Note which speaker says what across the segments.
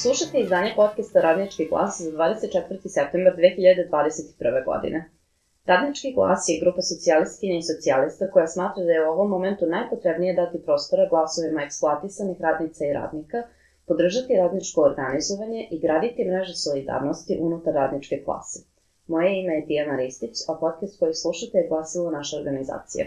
Speaker 1: Slušajte izdanje podcasta Radnički glas za 24. septembar 2021. godine. Radnički glas je grupa socijalistkinja i socijalista koja smatra da je u ovom momentu najpotrebnije dati prostora glasovima eksploatisanih radnica i radnika, podržati radničko organizovanje i graditi mreže solidarnosti unutar radničke klase. Moje ime je Tijana Ristić, a podcast koji slušate je glasilo naše organizacije.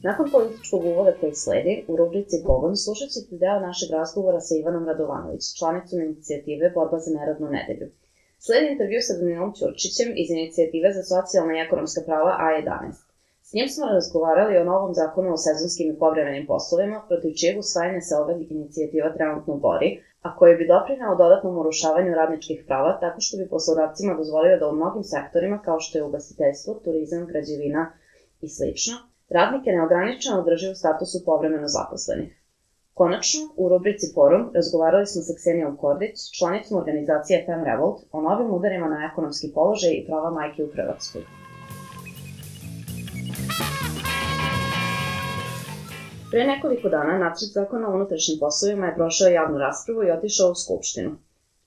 Speaker 1: Nakon političkog uvoda koji sledi, u rubrici Pogon slušat ćete deo našeg razgovora sa Ivanom Radovanović, članicom inicijative Borba za neradnu nedelju. Sledi intervju sa Danilom Ćurčićem iz inicijative za socijalna i ekonomska prava A11. S njim smo razgovarali o novom zakonu o sezonskim i povremenim poslovima, protiv čijeg usvajanja se ova inicijativa trenutno bori, a koji bi doprineo dodatnom urušavanju radničkih prava tako što bi poslodavcima dozvolio da u mnogim sektorima, kao što je ugostiteljstvo, turizam, građevina i slično, radnike neograničeno drži u statusu povremeno zaposlenih. Konačno, u rubrici Forum razgovarali smo sa Ksenijom Kordić, članicom organizacije Fem Revolt, o novim udarima na ekonomski položaj i prava majke u Hrvatskoj. Pre nekoliko dana nacrt zakona o unutrašnjim poslovima je prošao javnu raspravu i otišao u Skupštinu.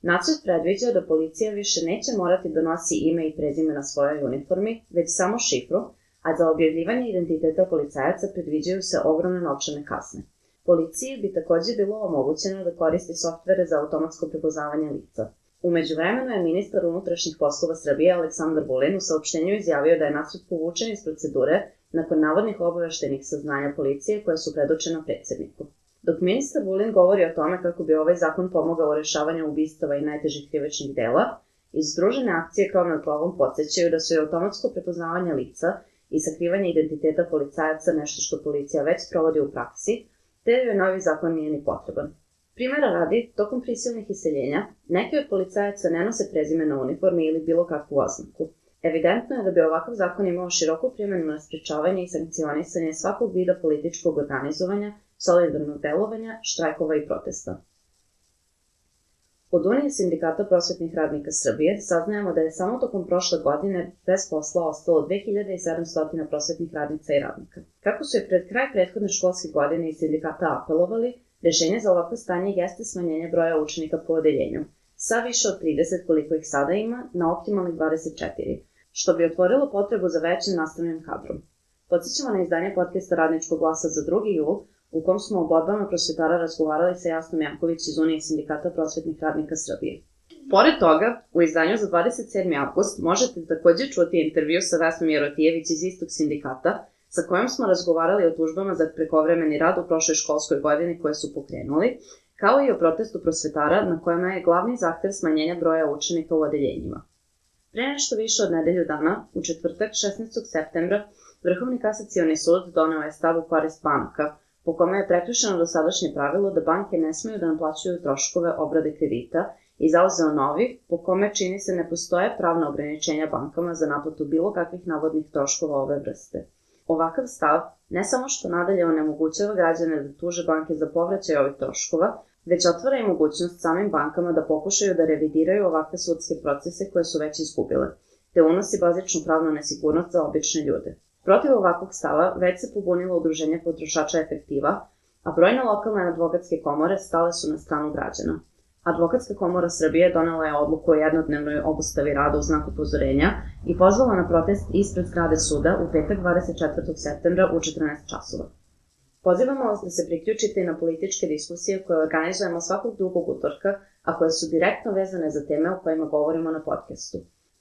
Speaker 1: Nacrt predviđa da policija više neće morati da nosi ime i prezime na svojoj uniformi, već samo šifru, a za objavljivanje identiteta policajaca predviđaju se ogromne novčane kazne. Policiji bi takođe bilo omogućeno da koristi softvere za automatsko prepoznavanje lica. U međuvremenu je ministar unutrašnjih poslova Srbije Aleksandar Vulin u saopštenju izjavio da je nacrt povučen iz procedure nakon navodnih obaveštenih saznanja policije koje su predočena predsjedniku. Dok ministar Vulin govori o tome kako bi ovaj zakon pomogao u rešavanju ubistava i najtežih krivičnih dela, iz Združene akcije Krov nad glavom podsećaju da su i automatsko prepoznavanje lica i sakrivanje identiteta policajaca nešto što policija već sprovodi u praksi, te joj novi zakon nije ni potreban. Primera radi, tokom prisilnih iseljenja, neki od policajaca ne nose prezime na uniformi ili bilo kakvu oznaku. Evidentno je da bi ovakav zakon imao široku primjenu na sprečavanje i sankcionisanje svakog vida političkog organizovanja, solidarnog delovanja, štrajkova i protesta. Od Unije sindikata prosvetnih radnika Srbije saznajemo da je samo tokom prošle godine bez posla ostalo 2700 prosvetnih radnica i radnika. Kako su je pred kraj prethodne školske godine iz sindikata apelovali, rešenje za ovakvo stanje jeste smanjenje broja učenika po odeljenju, sa više od 30 koliko ih sada ima na optimalnih 24, što bi otvorilo potrebu za većim nastavnim kadrom. Podsjećamo na izdanje podcasta Radničkog glasa za 2. jul, u kom smo o borbama prosvetara razgovarali sa Jasnom Janković iz Unije sindikata prosvetnih radnika Srbije. Pored toga, u izdanju za 27. avgust možete takođe čuti intervju sa Vesnom Jerotijević iz istog sindikata, sa kojom smo razgovarali o tužbama za prekovremeni rad u prošloj školskoj godini koje su pokrenuli, kao i o protestu prosvetara na kojima je glavni zahtev smanjenja broja učenika u odeljenjima. Pre nešto više od nedelju dana, u četvrtak 16. septembra, Vrhovni kasacioni sud doneo je stav u korist banaka, po kome je prekršeno dosadašnje pravilo da banke ne smeju da naplaćuju troškove obrade kredita i zauzeo novi, po kome čini se ne postoje pravna ograničenja bankama za naplatu bilo kakvih navodnih troškova ove vrste. Ovakav stav ne samo što nadalje onemogućava građane da tuže banke za povraćaj ovih troškova, već otvara i mogućnost samim bankama da pokušaju da revidiraju ovakve sudske procese koje su već izgubile, te unosi bazičnu pravnu nesigurnost za obične ljude. Protiv ovakvog stava već se pobunilo udruženje potrošača Efektiva, a brojne lokalne advokatske komore stale su na stranu građana. Advokatska komora Srbije donela je odluku o jednodnevnoj obustavi rada u znak upozorenja i pozvala na protest ispred zgrade suda u petak 24. septembra u 14 časova. Pozivamo vas da se priključite i na političke diskusije koje organizujemo svakog drugog utorka, a koje su direktno vezane za teme o kojima govorimo na podcastu.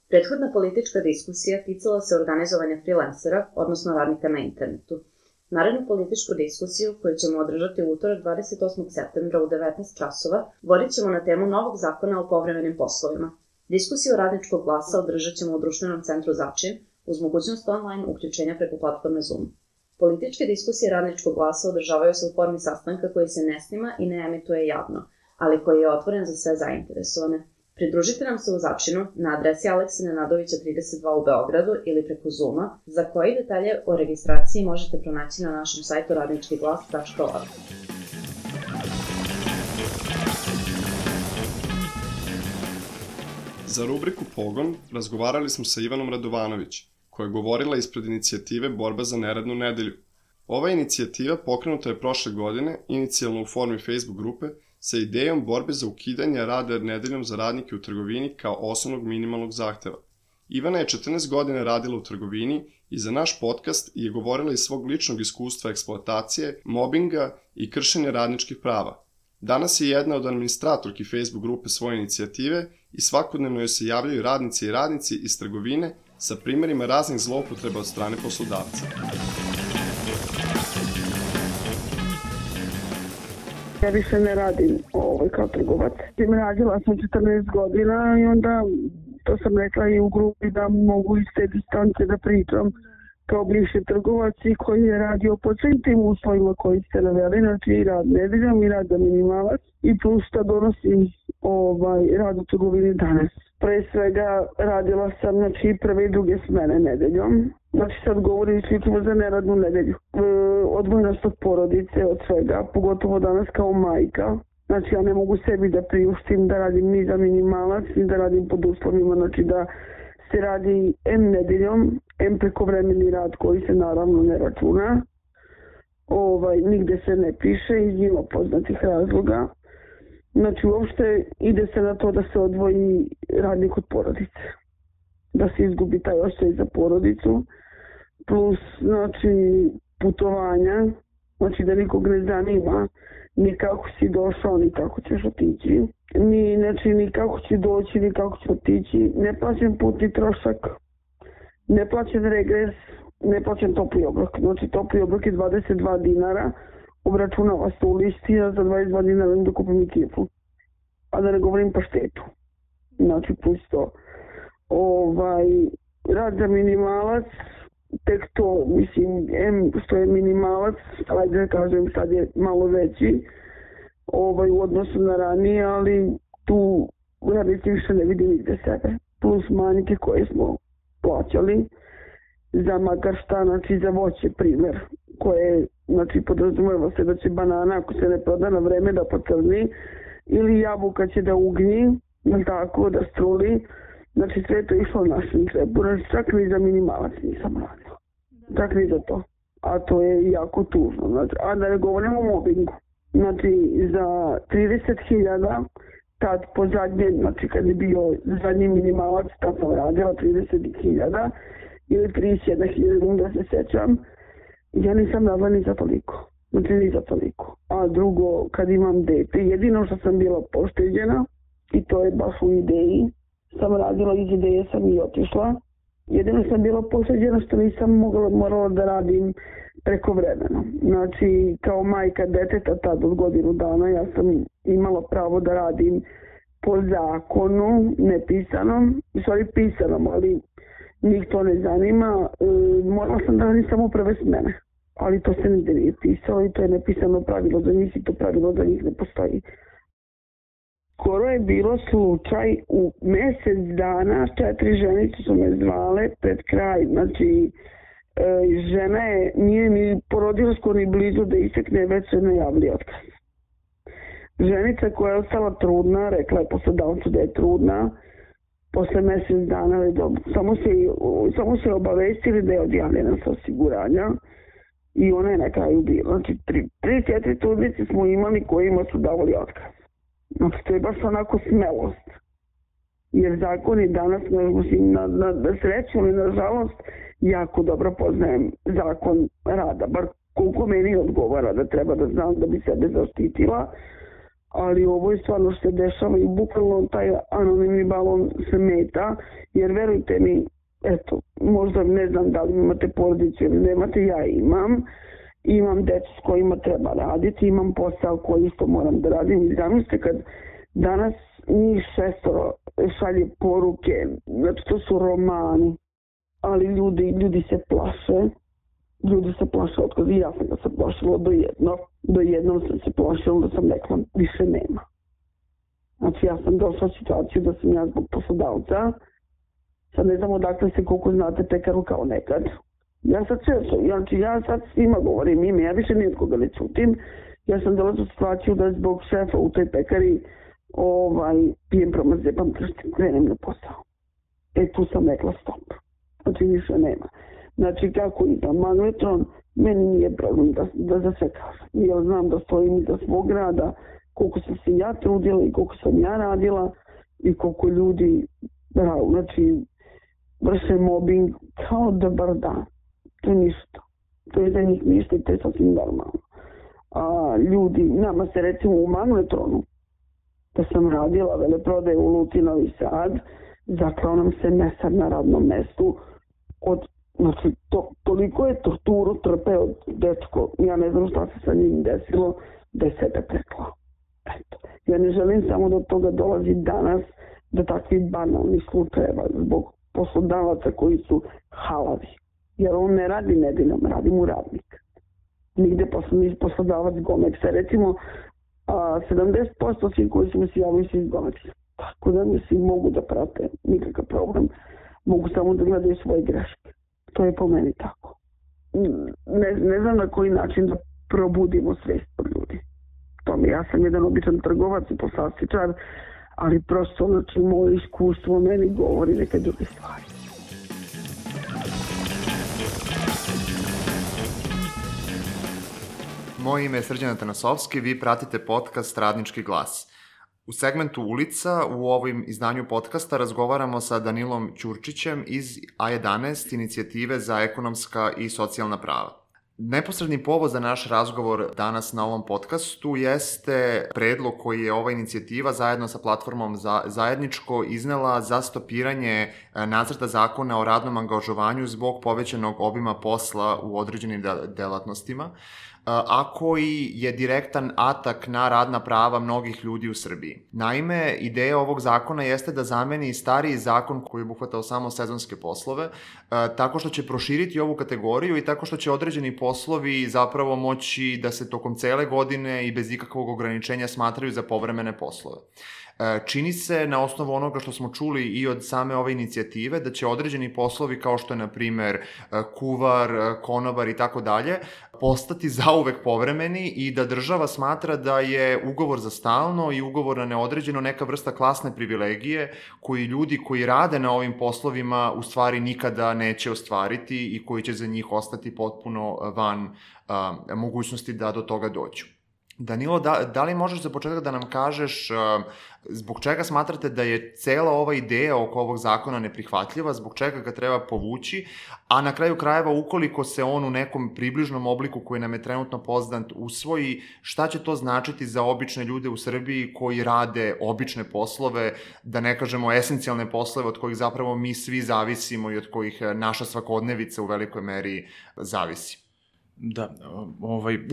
Speaker 1: Prethodna politička diskusija ticala se organizovanja freelancera, odnosno radnika na internetu. Narednu političku diskusiju, koju ćemo održati u utorak 28. septembra u 19 časova, vodit ćemo na temu novog zakona o povremenim poslovima. Diskusiju Radničkog glasa održat ćemo u društvenom centru Začin, uz mogućnost online uključenja preko platforme Zoom. Političke diskusije Radničkog glasa održavaju se u formi sastanka koji se ne snima i ne emituje javno, ali koji je otvoren za sve zainteresovane. Pridružite nam se u Začinu na adresi Aleksine Nadovića 32 u Beogradu ili preko Zooma, za koji detalje o registraciji možete pronaći na našem sajtu radničkiglas.org.
Speaker 2: Za rubriku Pogon razgovarali smo sa Ivanom Radovanović, koja je govorila ispred inicijative Borba za neradnu nedelju. Ova inicijativa pokrenuta je prošle godine, inicijalno u formi Facebook grupe, sa idejom borbe za ukidanje rada nedeljom za radnike u trgovini kao osnovnog minimalnog zahteva. Ivana je 14 godina radila u trgovini i za naš podcast je govorila iz svog ličnog iskustva eksploatacije, mobinga i kršenja radničkih prava. Danas je jedna od administratorki Facebook grupe svoje inicijative i svakodnevno joj se javljaju radnici i radnici iz trgovine sa primjerima raznih zloupotreba od strane poslodavca.
Speaker 3: Ja više ne radim kao trgovac. Radila sam 14 godina i onda to sam rekla i u grupi da mogu iz te distance da pričam kao bivši trgovac i koji je radio po svim tim uslovima koji ste naveli, znači i rad nedeljom i rad za minimalac i plus šta donosi rad u trgovini danas. Pre svega radila sam prve i druge smene nedeljom. Znači sad govorim isključivo za neradnu nedelju. Odvojnost od porodice, od svega, pogotovo danas kao majka. Znači ja ne mogu sebi da priuštim da radim ni za minimalac, ni da radim pod uslovima, znači da se radi M nedeljom, M prekovremeni rad koji se naravno ne računa. Nigde se ne piše iz njima poznatih razloga. Znači uopšte ide se na to da se odvoji radnik od porodice. Da se izgubi taj osjećaj za porodicu. Plus putovanja. Znači da nikog ne zanima ni kako si došao, ni kako ćeš otići. Ni kako će doći, ni kako će otići. Ne plaćam putni trošak. Ne plaćam regres. Ne plaćam topli obrok. Znači topli obrok je 22 dinara. Obračunava se u listi, a za 22 dinara da kupim i kiflu. A da ne govorim paštetu. Znači plus to. Rad za minimalac, tek to, što je minimalac, ajde da kažem sad je malo veći u odnosu na ranije, ali tu radnici više ne vidi nigde sebe. Plus manjke koje smo plaćali za makar šta, znači za voće primjer, koje podrazumeva se da će banana ako se ne proda na vreme da pocrni ili jabuka će da ugnji, tako da struli. Znači sve to je išlo našim džepu, čak ni za minimalac nisam radila. Čak ni za to. A to je jako tužno. A da ne govorimo o mobingu. Znači za 30.000 tad po zadnje, znači kad je bio zadnji minimalac, tad sam radila 30.000 ili 31.000, da se sećam. Ja nisam radila ni za toliko. Znači ni za toliko. A drugo, kad imam dete, jedino što sam bila pošteđena, i to je baš u ideji, sam radila iz ideje, sam i otišla. Jedino sam bila pošteđena što nisam morala da radim prekovremeno. Znači, kao majka deteta tad od godinu dana, ja sam imala pravo da radim po zakonu, nepisanom, u stvari pisanom, ali njih to ne zanima. Morala sam da radim samo prve smene, ali to se nigde nije pisalo i to je nepisano pravilo za njih i to pravilo za njih ne postoji. Skoro je bilo slučaj u mjesec dana, 4 ženice su me zvale pred kraj, znači žena nije ni porodila skoro ni blizu da isekne, već se najavili otkaz. Ženica koja je ostala trudna, rekla je poslodavcu da je trudna, posle mjesec dana, samo se obavestili da je odjavljena sa osiguranja i ona je na kraju bila. Znači 3-4 trudnice smo imali kojima su davali otkaz. Znači, to je baš onako smelost. Jer zakon je danas, na sreću ili na žalost, jako dobro poznajem zakon rada. Bar koliko meni odgovara da treba da znam da bi sebe zaštitila. Ali ovo je stvarno što se dešava i bukvalno taj anonimni balon se meta. Jer verujte mi, eto, možda ne znam da li imate porodicu ili nemate, ja imam. Imam decu s kojima treba raditi, imam posao koji isto moram da radim i zamislite kad danas njih 6 šalje poruke, znači to su romani, ali ljudi se plaše, otkaza i ja sam ga se plašila do jednom sam se plašila da sam rekla više nema. Znači ja sam došla u situaciju da sam ja zbog poslodavca, sad ne znam odakle se koliko znate pekaru kao nekad. Ja sad svima govorim ime, ja više nijedkoga ne čutim. Ja sam dolazila u situaciju da zbog šefa u toj pekari pijem promazepam krstim, krenem na posao. Tu sam rekla stop. Znači više nema. Znači kako idem magnetron, Meni nije problem da za sve kažem. Ja znam da stojim iza svog rada, koliko sam se ja trudila i koliko sam ja radila i koliko ljudi vrše mobbing kao dobar dan. To je ništa. To je za njih ništa i to je sasvim normalno. Ljudi, nama se recimo u Magnetronu, da sam radila veleprodaje u Luci Novi Sad, zaklao nam se mesar na radnom mestu. Toliko je torturu trpeo dečko. Ja ne znam šta se sa njim desilo, da je sebe preklao. Eto. Ja ne želim samo do toga dolazi danas, do takvih banalnih slučajeva zbog poslodavaca koji su halavi. Jer on ne radi nedeljom, radi mu radnik. Nigde poslodavac Gomeksa. Recimo, 70% svih koji su mi se javili su iz Gomeksa. Tako da mislim mogu da prate nikakav problem. Mogu samo da gledaju svoje greške. To je po meni tako. Ne znam na koji način da probudimo svest od ljudi. Ja sam jedan običan trgovac i poslastičar, ali prosto moje iskustvo meni govori neke druge stvari.
Speaker 4: Moje ime je Srđan Atanasovski, vi pratite podcast Radnički glas. U segmentu Ulica u ovom izdanju podcasta razgovaramo sa Danilom Ćurčićem iz A11 inicijative za ekonomska i socijalna prava. Neposredni povod za naš razgovor danas na ovom podcastu jeste predlog koji je ova inicijativa zajedno sa platformom Zajedničko iznela za stopiranje nacrta zakona o radnom angažovanju zbog povećanog obima posla u određenim delatnostima, a koji je direktan atak na radna prava mnogih ljudi u Srbiji. Naime, ideja ovog zakona jeste da zameni stariji zakon koji je obuhvatao samo sezonske poslove, tako što će proširiti ovu kategoriju i tako što će određeni poslovi zapravo moći da se tokom cele godine i bez ikakvog ograničenja smatraju za povremene poslove. Čini se, na osnovu onoga što smo čuli i od same ove inicijative, da će određeni poslovi kao što je, na primer, kuvar, konobar i tako dalje, postati zauvek povremeni i da država smatra da je ugovor za stalno i ugovor na neodređeno neka vrsta klasne privilegije koji ljudi koji rade na ovim poslovima u stvari nikada neće ostvariti i koji će za njih ostati potpuno van mogućnosti da do toga dođu. Danilo, da li možeš za početak da nam kažeš zbog čega smatrate da je cela ova ideja oko ovog zakona neprihvatljiva, zbog čega ga treba povući, a na kraju krajeva ukoliko se on u nekom približnom obliku koji nam je trenutno poznat usvoji, šta će to značiti za obične ljude u Srbiji koji rade obične poslove, da ne kažemo esencijalne poslove od kojih zapravo mi svi zavisimo i od kojih naša svakodnevica u velikoj meri zavisi?
Speaker 5: Da,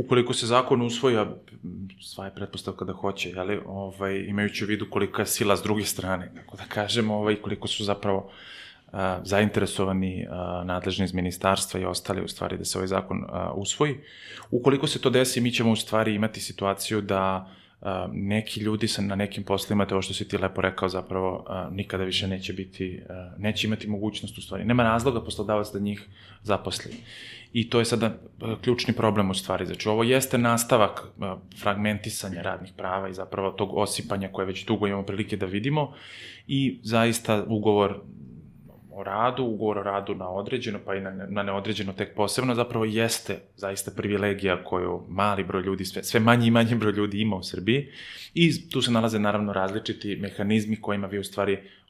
Speaker 5: ukoliko se zakon usvoji, a sva je pretpostavka da hoće, imajući u vidu kolika je sila s druge strane, tako da kažemo, koliko su zapravo zainteresovani nadležni iz ministarstva i ostali u stvari da se ovaj zakon usvoji. Ukoliko se to desi, mi ćemo u stvari imati situaciju da neki ljudi na nekim poslovima, to što si ti lepo rekao, zapravo nikada više neće imati mogućnost u stvari. Nema razloga poslodavac da njih zaposli. I to je sada ključni problem u stvari. Znači, ovo jeste nastavak fragmentisanja radnih prava i zapravo tog osipanja koje već dugo imamo prilike da vidimo i zaista ugovor o radu na određeno, pa i na neodređeno tek posebno, zapravo jeste zaista privilegija koju mali broj ljudi, sve manji i manji broj ljudi ima u Srbiji i tu se nalaze naravno različiti mehanizmi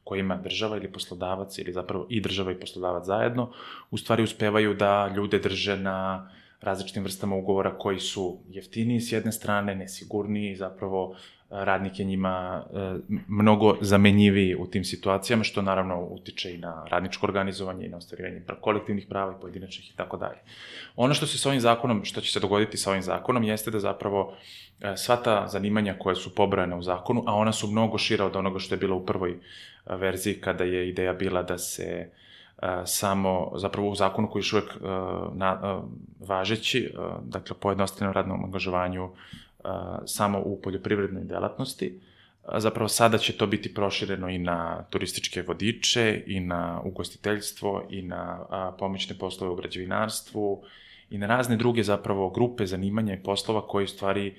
Speaker 5: kojima država ili poslodavac ili zapravo i država i poslodavac zajedno u stvari uspevaju da ljude drže na različitim vrstama ugovora koji su jeftiniji s jedne strane, nesigurniji, zapravo radnik je njima mnogo zamenjiviji u tim situacijama, što naravno utiče i na radničko organizovanje i na ostvarivanje kolektivnih prava i pojedinačnih i tako dalje. Ono što će se dogoditi sa ovim zakonom jeste da zapravo sva ta zanimanja koja su pobrojana u zakonu, a ona su mnogo šira od onoga što je bilo u prvoj verziji kada je ideja bila da se samo, zapravo u zakonu koji je još uvek važeći, dakle pojednostavljenom radnom angažovanju samo u poljoprivrednoj delatnosti. Zapravo sada će to biti prošireno i na turističke vodiče, i na ugostiteljstvo, i na pomoćne poslove u građevinarstvu, i na razne druge zapravo grupe zanimanja i poslova koji u stvari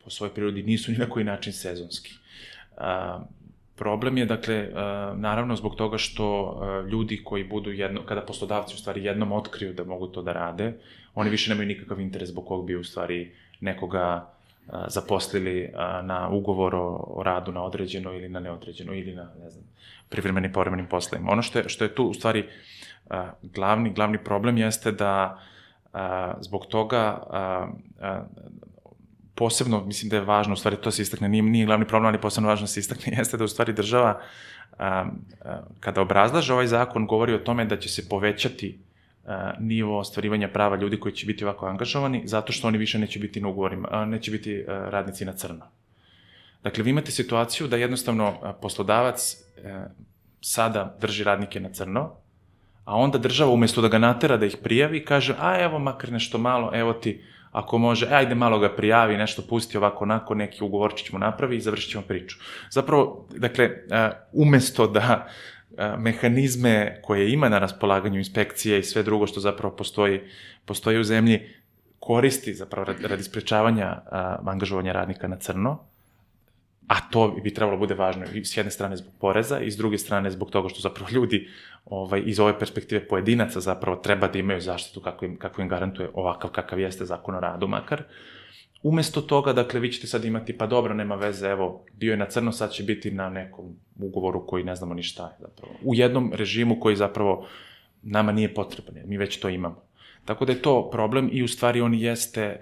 Speaker 5: po svojoj prirodi nisu ni na koji način sezonski. Problem je, dakle, naravno zbog toga što ljudi koji budu kada poslodavci u stvari jednom otkriju da mogu to da rade, oni više nemaju nikakav interes zbog kog bi u stvari nekoga zaposlili na ugovor o radu na određeno ili na neodređeno ili na, ne znam, privremenim povremenim poslovima. Ono što je tu u stvari glavni problem jeste da zbog toga posebno, mislim da je važno, u stvari to se istakne, nije glavni problem, ali posebno važno se istakne, jeste da u stvari država, kada obrazlaže ovaj zakon, govori o tome da će se povećati nivo ostvarivanja prava ljudi koji će biti ovako angažovani, zato što oni više neće biti na ugovorima, neće biti radnici na crno. Dakle, vi imate situaciju da jednostavno poslodavac sada drži radnike na crno, a onda država umjesto da ga natera da ih prijavi, kaže, evo makar nešto malo, evo ti, ako može, ajde malo ga prijavi, nešto pusti ovako onako, neki ugovorčić mu napravi i završit ćemo priču. Zapravo, dakle, umjesto da mehanizme koje ima na raspolaganju inspekcije i sve drugo što zapravo postoji u zemlji, koristi zapravo radi sprečavanja angažovanja radnika na crno, a to bi trebalo bude važno i s jedne strane zbog poreza i s druge strane zbog toga što zapravo ljudi iz ove perspektive pojedinaca zapravo treba da imaju zaštitu kako im garantuje ovakav kakav jeste zakon o radu makar. Umesto toga, dakle, vi ćete sad imati, pa dobro, nema veze, evo, bio je na crno, sad će biti na nekom ugovoru koji ne znamo ni šta je zapravo. U jednom režimu koji zapravo nama nije potreban, mi već to imamo. Tako da je to problem i u stvari on jeste,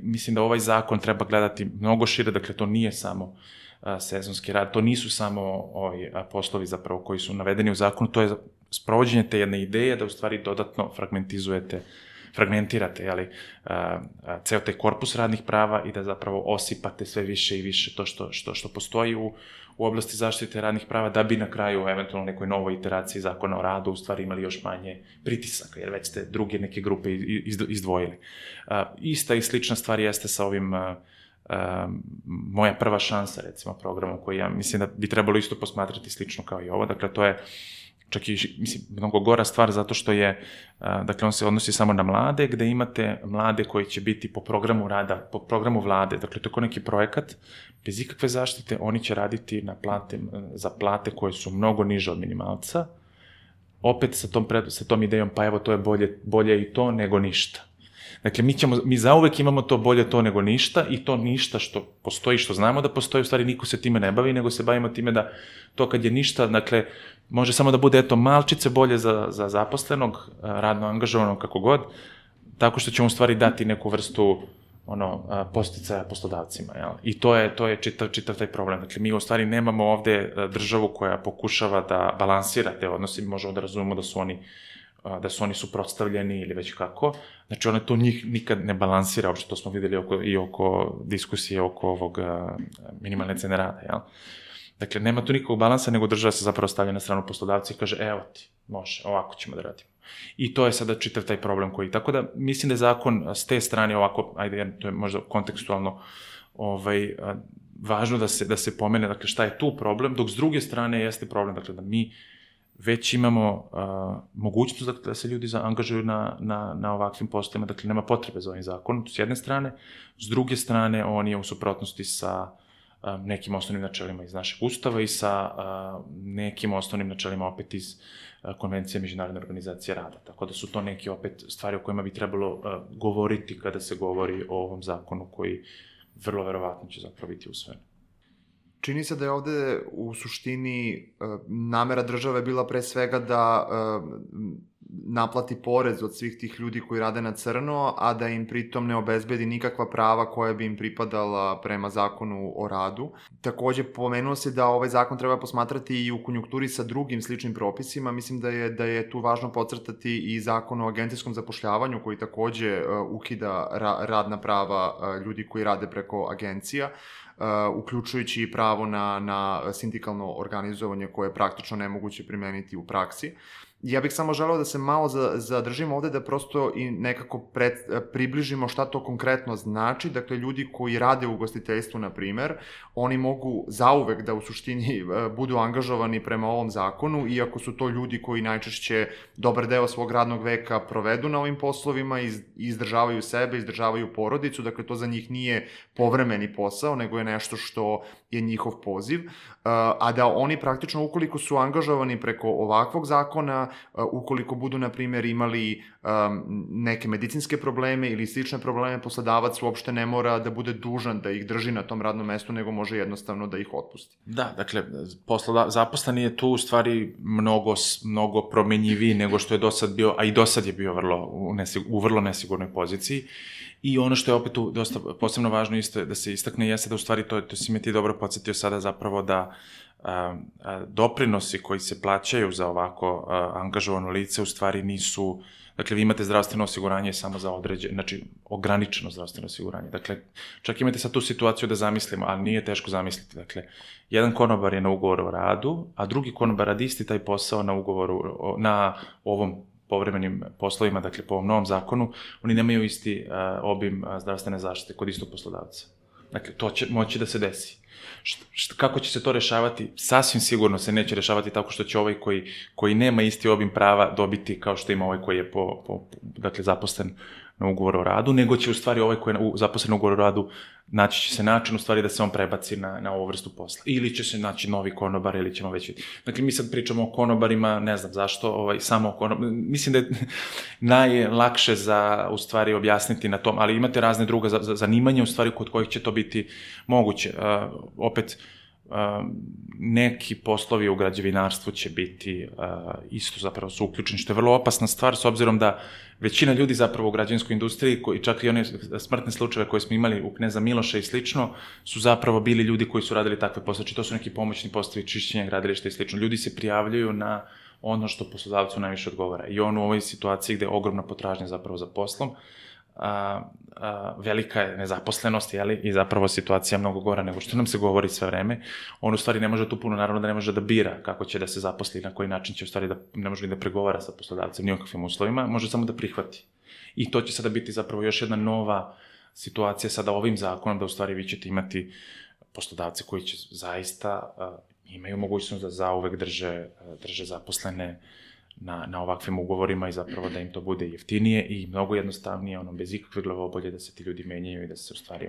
Speaker 5: mislim da ovaj zakon treba gledati mnogo šire, dakle to nije samo sezonski rad, to nisu samo poslovi zapravo koji su navedeni u zakonu, to je sprovođenje te jedne ideje da u stvari dodatno fragmentirate ceo taj korpus radnih prava i da zapravo osipate sve više i više to što postoji u oblasti zaštite radnih prava, da bi na kraju, eventualno nekoj novoj iteraciji zakona o radu, u stvari imali još manje pritisaka, jer već ste druge neke grupe izdvojili. Ista i slična stvar jeste sa ovim Moja prva šansa, recimo, programom koji ja mislim da bi trebalo isto posmatrati slično kao i ovo. Dakle, to je čak i, mislim, mnogo gora stvar zato što je, dakle, on se odnosi samo na mlade, gde imate mlade koji će biti po programu rada, po programu vlade, dakle, to je kao neki projekat, bez ikakve zaštite, oni će raditi za plate koje su mnogo niže od minimalca, opet sa tom idejom, pa evo, to je bolje i to nego ništa. Dakle, mi zauvek imamo to bolje to nego ništa i to ništa što postoji, što znamo da postoji, u stvari niko se time ne bavi, nego se bavimo time da to kad je ništa, dakle, može samo da bude, eto, malčice bolje za zaposlenog, radno angažovanog, kako god, tako što ćemo u stvari dati neku vrstu posticaja poslodavcima, jel? I to je čitav taj problem. Dakle, mi u stvari nemamo ovde državu koja pokušava da balansira te odnose, možemo da razumemo da su oni suprotstavljeni ili već kako. Znači, ona to njih nikad ne balansira, uopšte to smo videli i oko diskusije oko ovog minimalne cene rada, jel? Dakle, nema tu nikakvog balansa, nego država se zapravo stavlja na stranu poslodavca i kaže, evo ti, može, ovako ćemo da radimo. I to je sada čitav taj problem koji, tako da mislim da je zakon s te strane ovako, ajde, to je možda kontekstualno važno da se pomene, dakle, šta je tu problem, dok s druge strane jeste problem, dakle, da mi već imamo mogućnost da se ljudi angažuju na ovakvim poslovima, dakle, nema potrebe za ovim zakonom, s jedne strane, s druge strane, on je u suprotnosti sa nekim osnovnim načelima iz našeg ustava i sa nekim osnovnim načelima opet iz Konvencije Međunarodne organizacije rada. Tako da su to neke opet stvari o kojima bi trebalo govoriti kada se govori o ovom zakonu koji vrlo verovatno će zapravo biti usvojen.
Speaker 4: Čini se da je ovde u suštini namera države bila pre svega da naplati porez od svih tih ljudi koji rade na crno, a da im pritom ne obezbedi nikakva prava koja bi im pripadala prema zakonu o radu. Takođe, pomenuo se da ovaj zakon treba posmatrati i u konjunkturi sa drugim sličnim propisima. Mislim da je tu važno podcrtati i zakon o agencijskom zapošljavanju koji takođe ukida radna prava ljudi koji rade preko agencija, uključujući i pravo na sindikalno organizovanje koje je praktično nemoguće primeniti u praksi. Ja bih samo želeo da se malo zadržimo ovde, da prosto i nekako približimo šta to konkretno znači. Dakle, ljudi koji rade u ugostiteljstvu, na primer, oni mogu zauvek da u suštini budu angažovani prema ovom zakonu, iako su to ljudi koji najčešće dobar deo svog radnog veka provedu na ovim poslovima, izdržavaju sebe, izdržavaju porodicu, dakle to za njih nije povremeni posao, nego je nešto što je njihov poziv, a da oni praktično, ukoliko su angažovani preko ovakvog zakona, ukoliko budu, na primjer, imali neke medicinske probleme ili slične probleme, poslodavac uopšte ne mora da bude dužan da ih drži na tom radnom mestu, nego može jednostavno da ih otpusti.
Speaker 5: Da, dakle, zaposleni je tu u stvari mnogo promenjiviji nego što je do sad bio, a i do sad je bio u vrlo nesigurnoj poziciji. I ono što je opet tu dosta posebno važno isto da se istakne jeste da u stvari, to si me ti dobro podsjetio sada zapravo da doprinosi koji se plaćaju za ovako angažovano lice u stvari nisu, dakle vi imate zdravstveno osiguranje samo za znači ograničeno zdravstveno osiguranje. Dakle, čak imate sad tu situaciju da zamislimo, ali nije teško zamisliti. Dakle, jedan konobar je na ugovoru o radu, a drugi konobar radi isti taj posao na ugovoru, na ovom povremenim poslovima, dakle po ovom novom zakonu, oni nemaju isti obim zdravstvene zaštite kod istog poslodavca. Dakle, to će moći da se desi. Kako će se to rešavati? Sasvim sigurno se neće rešavati tako što će ovaj koji nema isti obim prava dobiti kao što ima ovaj koji je dakle, zaposlen na ugovor o radu, nego će u stvari ovaj koji je zaposlen na ugovor o radu naći će se način u stvari da se on prebaci na ovu vrstu posla. Ili će se naći novi konobar ili ćemo već vidjeti. Dakle, mi sad pričamo o konobarima, ne znam zašto, samo o konobarima. Mislim da je najlakše za u stvari objasniti na tom, ali imate razne druga zanimanja u stvari kod kojih će to biti moguće. Opet, neki poslovi u građevinarstvu će biti isto zapravo su uključeni, što je vrlo opasna stvar s obzirom da većina ljudi zapravo u građevinskoj industriji, čak i one smrtne slučajeve koje smo imali u Kneza Miloša i slično, su zapravo bili ljudi koji su radili takve posle. Znači, to su neki pomoćni poslovi, čišćenja gradilišta i slično. Ljudi se prijavljaju na ono što poslodavcu najviše odgovara. I on u ovoj situaciji gde je ogromna potražnja zapravo za poslom, velika je nezaposlenost, i zapravo situacija mnogo gora nego što nam se govori sve vreme. On u stvari ne može tu puno, naravno da ne može da bira kako će da se zaposli, na koji način će u stvari ne može ni da pregovara sa poslodavcem ni o kakvim uslovima, može samo da prihvati. I to će sada biti zapravo još jedna nova situacija sada ovim zakonom, da u stvari vi ćete imati poslodavce koji će zaista imaju mogućnost da zauvek drže zaposlene na ovakvim ugovorima i zapravo da im to bude jeftinije i mnogo jednostavnije, bez ikakve glavobolje da se ti ljudi menjaju i da se u stvari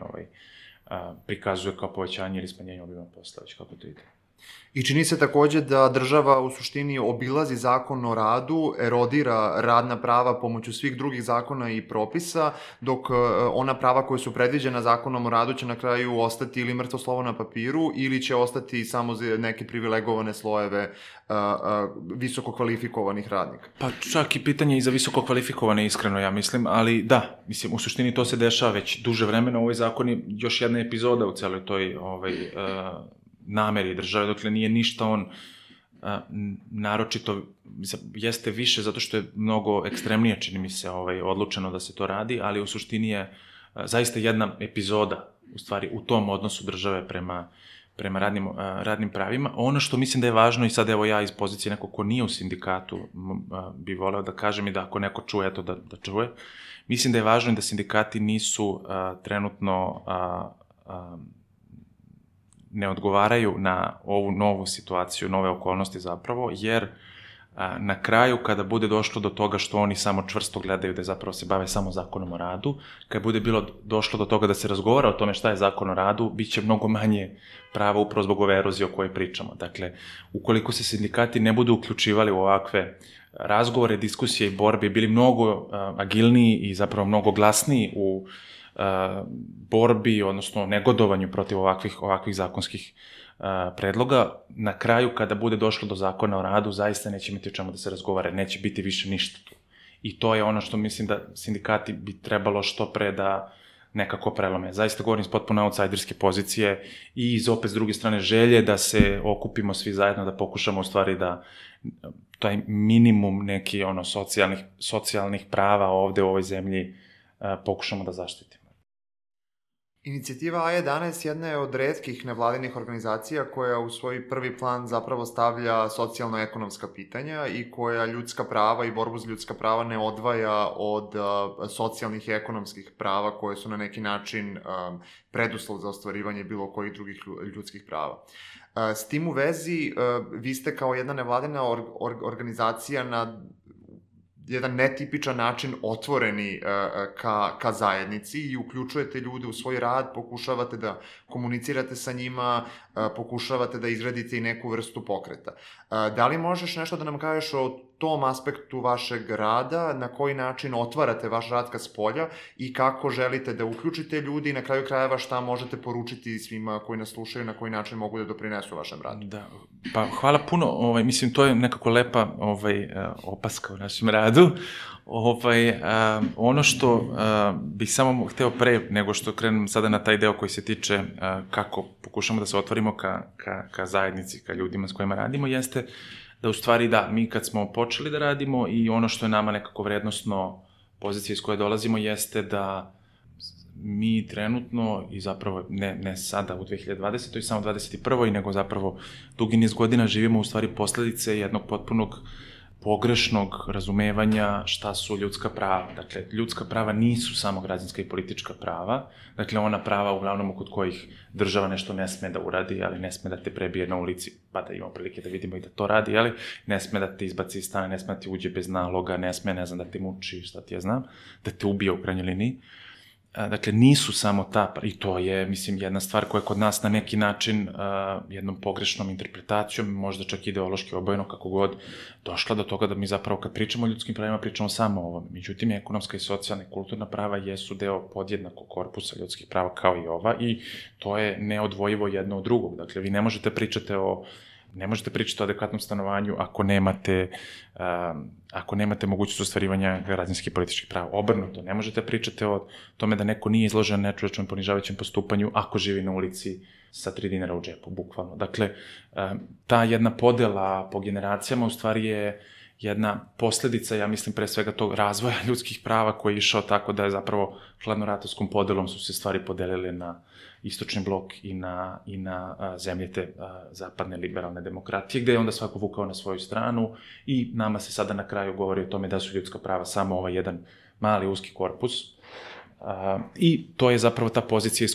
Speaker 5: prikazuje kao povećanje ili smanjenje obima posla, već kako to ide.
Speaker 4: I čini se takođe da država u suštini obilazi zakon o radu, erodira radna prava pomoću svih drugih zakona i propisa, dok ona prava koje su predviđena zakonom o radu će na kraju ostati ili mrtvo slovo na papiru ili će ostati samo za neke privilegovane slojeve visoko kvalifikovanih radnika.
Speaker 5: Pa čak i pitanje i za visoko kvalifikovane, iskreno ja mislim, ali da, mislim, u suštini to se dešava već duže vremena, ovaj zakon je još jedna epizoda u celoj toj nameri države, dokle nije ništa on naročito, jeste više zato što je mnogo ekstremnije, čini mi se, odlučeno da se to radi, ali u suštini je zaista jedna epizoda, u stvari, u tom odnosu države prema radnim pravima. Ono što mislim da je važno, i sad evo ja iz pozicije nekog ko nije u sindikatu bi voleo da kažem i da ako neko čuje, eto da čuje, mislim da je važno da sindikati nisu trenutno ne odgovaraju na ovu novu situaciju, nove okolnosti zapravo, jer na kraju kada bude došlo do toga što oni samo čvrsto gledaju da zapravo se bave samo zakonom o radu, kada bude došlo do toga da se razgovara o tome šta je zakon o radu, bit će mnogo manje prava upravo zbog ove erozije o kojoj pričamo. Dakle, ukoliko se sindikati ne budu uključivali u ovakve razgovore, diskusije i borbe, bili mnogo agilniji i zapravo mnogo glasniji u borbi, odnosno negodovanju protiv ovakvih zakonskih predloga, na kraju kada bude došlo do zakona o radu, zaista neće imati o čemu da se razgovara, neće biti više ništa tu. I to je ono što mislim da sindikati bi trebalo što pre da nekako prelome. Zaista govorim iz potpuno outsiderske pozicije i iz opet s druge strane želje da se okupimo svi zajedno, da pokušamo u stvari da taj minimum neki socijalnih prava ovde u ovoj zemlji pokušamo da zaštitimo.
Speaker 4: Inicijativa A11 jedna je od retkih nevladinih organizacija koja u svoj prvi plan zapravo stavlja socijalno-ekonomska pitanja i koja ljudska prava i borbu za ljudska prava ne odvaja od socijalnih i ekonomskih prava koje su na neki način preduslov za ostvarivanje bilo kojih drugih ljudskih prava. S tim u vezi, vi ste kao jedna nevladina organizacija na jedan netipičan način otvoreni ka zajednici i uključujete ljude u svoj rad, pokušavate da komunicirate sa njima, pokušavate da izgradite i neku vrstu pokreta. Da li možeš nešto da nam kažeš o tom aspektu vašeg rada, na koji način otvarate vaš rad ka spolja i kako želite da uključite ljudi i na kraju krajeva šta možete poručiti svima koji nas slušaju, na koji način mogu da doprinesu vašem radu?
Speaker 5: Da, pa hvala puno, mislim, to je nekako lepa opaska u našem radu. Ono što bih samo hteo pre nego što krenem sada na taj deo koji se tiče kako pokušamo da se otvorimo ka zajednici, ka ljudima s kojima radimo, jeste da u stvari mi kad smo počeli da radimo i ono što je nama nekako vrednostno pozicija iz koje dolazimo jeste da mi trenutno i zapravo ne sada u 2020. i samo 2021. nego zapravo dugi niz godina živimo u stvari posledice jednog potpunog pogrešnog razumevanja šta su ljudska prava. Dakle, ljudska prava nisu samo građanska i politička prava. Dakle, ona prava uglavnom kod kojih država nešto ne sme da uradi, ali ne sme da te prebije na ulici, pa da imamo prilike da vidimo i da to radi, ali ne sme da te izbaci iz stana, ne sme da ti uđe bez naloga, ne sme, ne znam, da te muči, šta ti ja znam, da te ubije u krajnjoj liniji. Dakle, nisu samo ta, i to je, mislim, jedna stvar koja je kod nas na neki način jednom pogrešnom interpretacijom, možda čak ideološki obojeno, kako god, došla do toga da mi zapravo kad pričamo o ljudskim pravima, pričamo samo o ovom. Međutim, ekonomska i socijalna i kulturna prava jesu deo podjednakog korpusa ljudskih prava kao i ova i to je neodvojivo jedno od drugog. Dakle, vi ne možete pričati o adekvatnom stanovanju ako nemate mogućnost ostvarivanja građanskih i političkih prava. Obrnuto, ne možete pričati o tome da neko nije izložen nečovečnom ponižavajućem postupanju ako živi na ulici sa 3 dinara u džepu, bukvalno. Dakle, ta jedna podela po generacijama u stvari je jedna posledica, ja mislim, pre svega tog razvoja ljudskih prava koji je išao tako da je zapravo hladnoratovskom podelom su se stvari podelile na istočni blok i na zemlje te zapadne liberalne demokratije, gde je onda svako vukao na svoju stranu i nama se sada na kraju govori o tome da su ljudska prava samo ovaj jedan mali uski korpus. I to je zapravo ta pozicija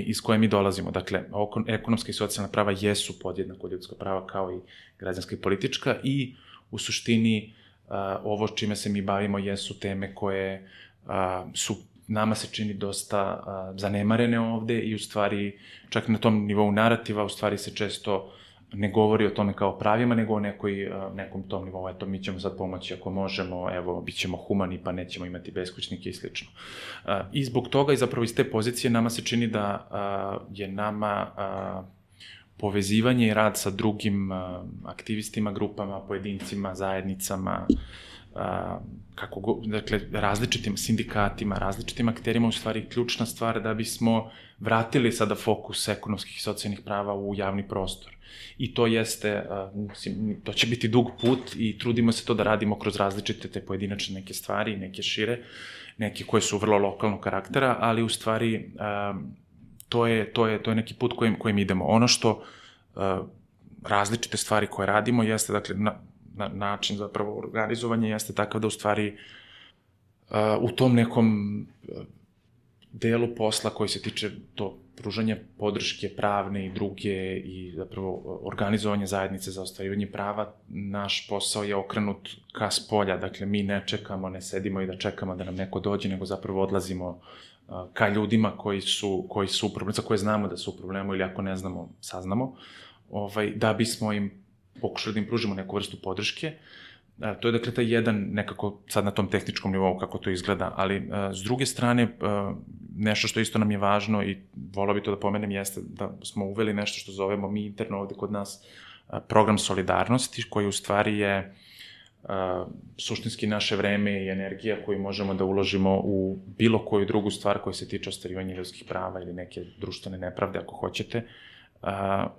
Speaker 5: iz koje mi dolazimo. Dakle, ekonomska i socijalna prava jesu podjednako ljudska prava kao i građanska i politička i u suštini ovo čime se mi bavimo jesu teme koje su nama se čini dosta zanemarene ovde i u stvari čak na tom nivou narativa u stvari se često ne govori o tome kao pravima, nego o nekom tom nivou, eto, mi ćemo sad pomoći ako možemo, evo, bit ćemo humani pa nećemo imati beskućnike i slično. I zbog toga i zapravo iz te pozicije nama se čini da je nama povezivanje i rad sa drugim aktivistima, grupama, pojedincima, zajednicama, dakle, različitim sindikatima, različitim akterima, u stvari ključna stvar da bismo vratili sada fokus ekonomskih i socijalnih prava u javni prostor. I to jeste, to će biti dug put i trudimo se to da radimo kroz različite te pojedinačne neke stvari, neke šire, neke koje su vrlo lokalnog karaktera, ali u stvari to je neki put kojim idemo. Ono što različite stvari koje radimo jeste, dakle, način zapravo organizovanja jeste takav da u stvari u tom nekom delu posla koji se tiče to pružanja podrške pravne i druge i zapravo organizovanje zajednice za ostvarivanje prava, naš posao je okrenut ka spolja. Dakle, mi ne čekamo, ne sedimo i da čekamo da nam neko dođe, nego zapravo odlazimo ka ljudima koji su u problemu, za koje znamo da su u problemu ili ako ne znamo, saznamo, da bismo im pokušali da im pružimo neku vrstu podrške. To je, dakle, taj jedan nekako sad na tom tehničkom nivou kako to izgleda, ali s druge strane nešto što isto nam je važno i volao bi to da pomenem jeste da smo uveli nešto što zovemo mi interno ovde kod nas program solidarnosti, koji u stvari je suštinski naše vreme i energija koju možemo da uložimo u bilo koju drugu stvar koja se tiče ostvarivanja ljudskih prava ili neke društvene nepravde, ako hoćete,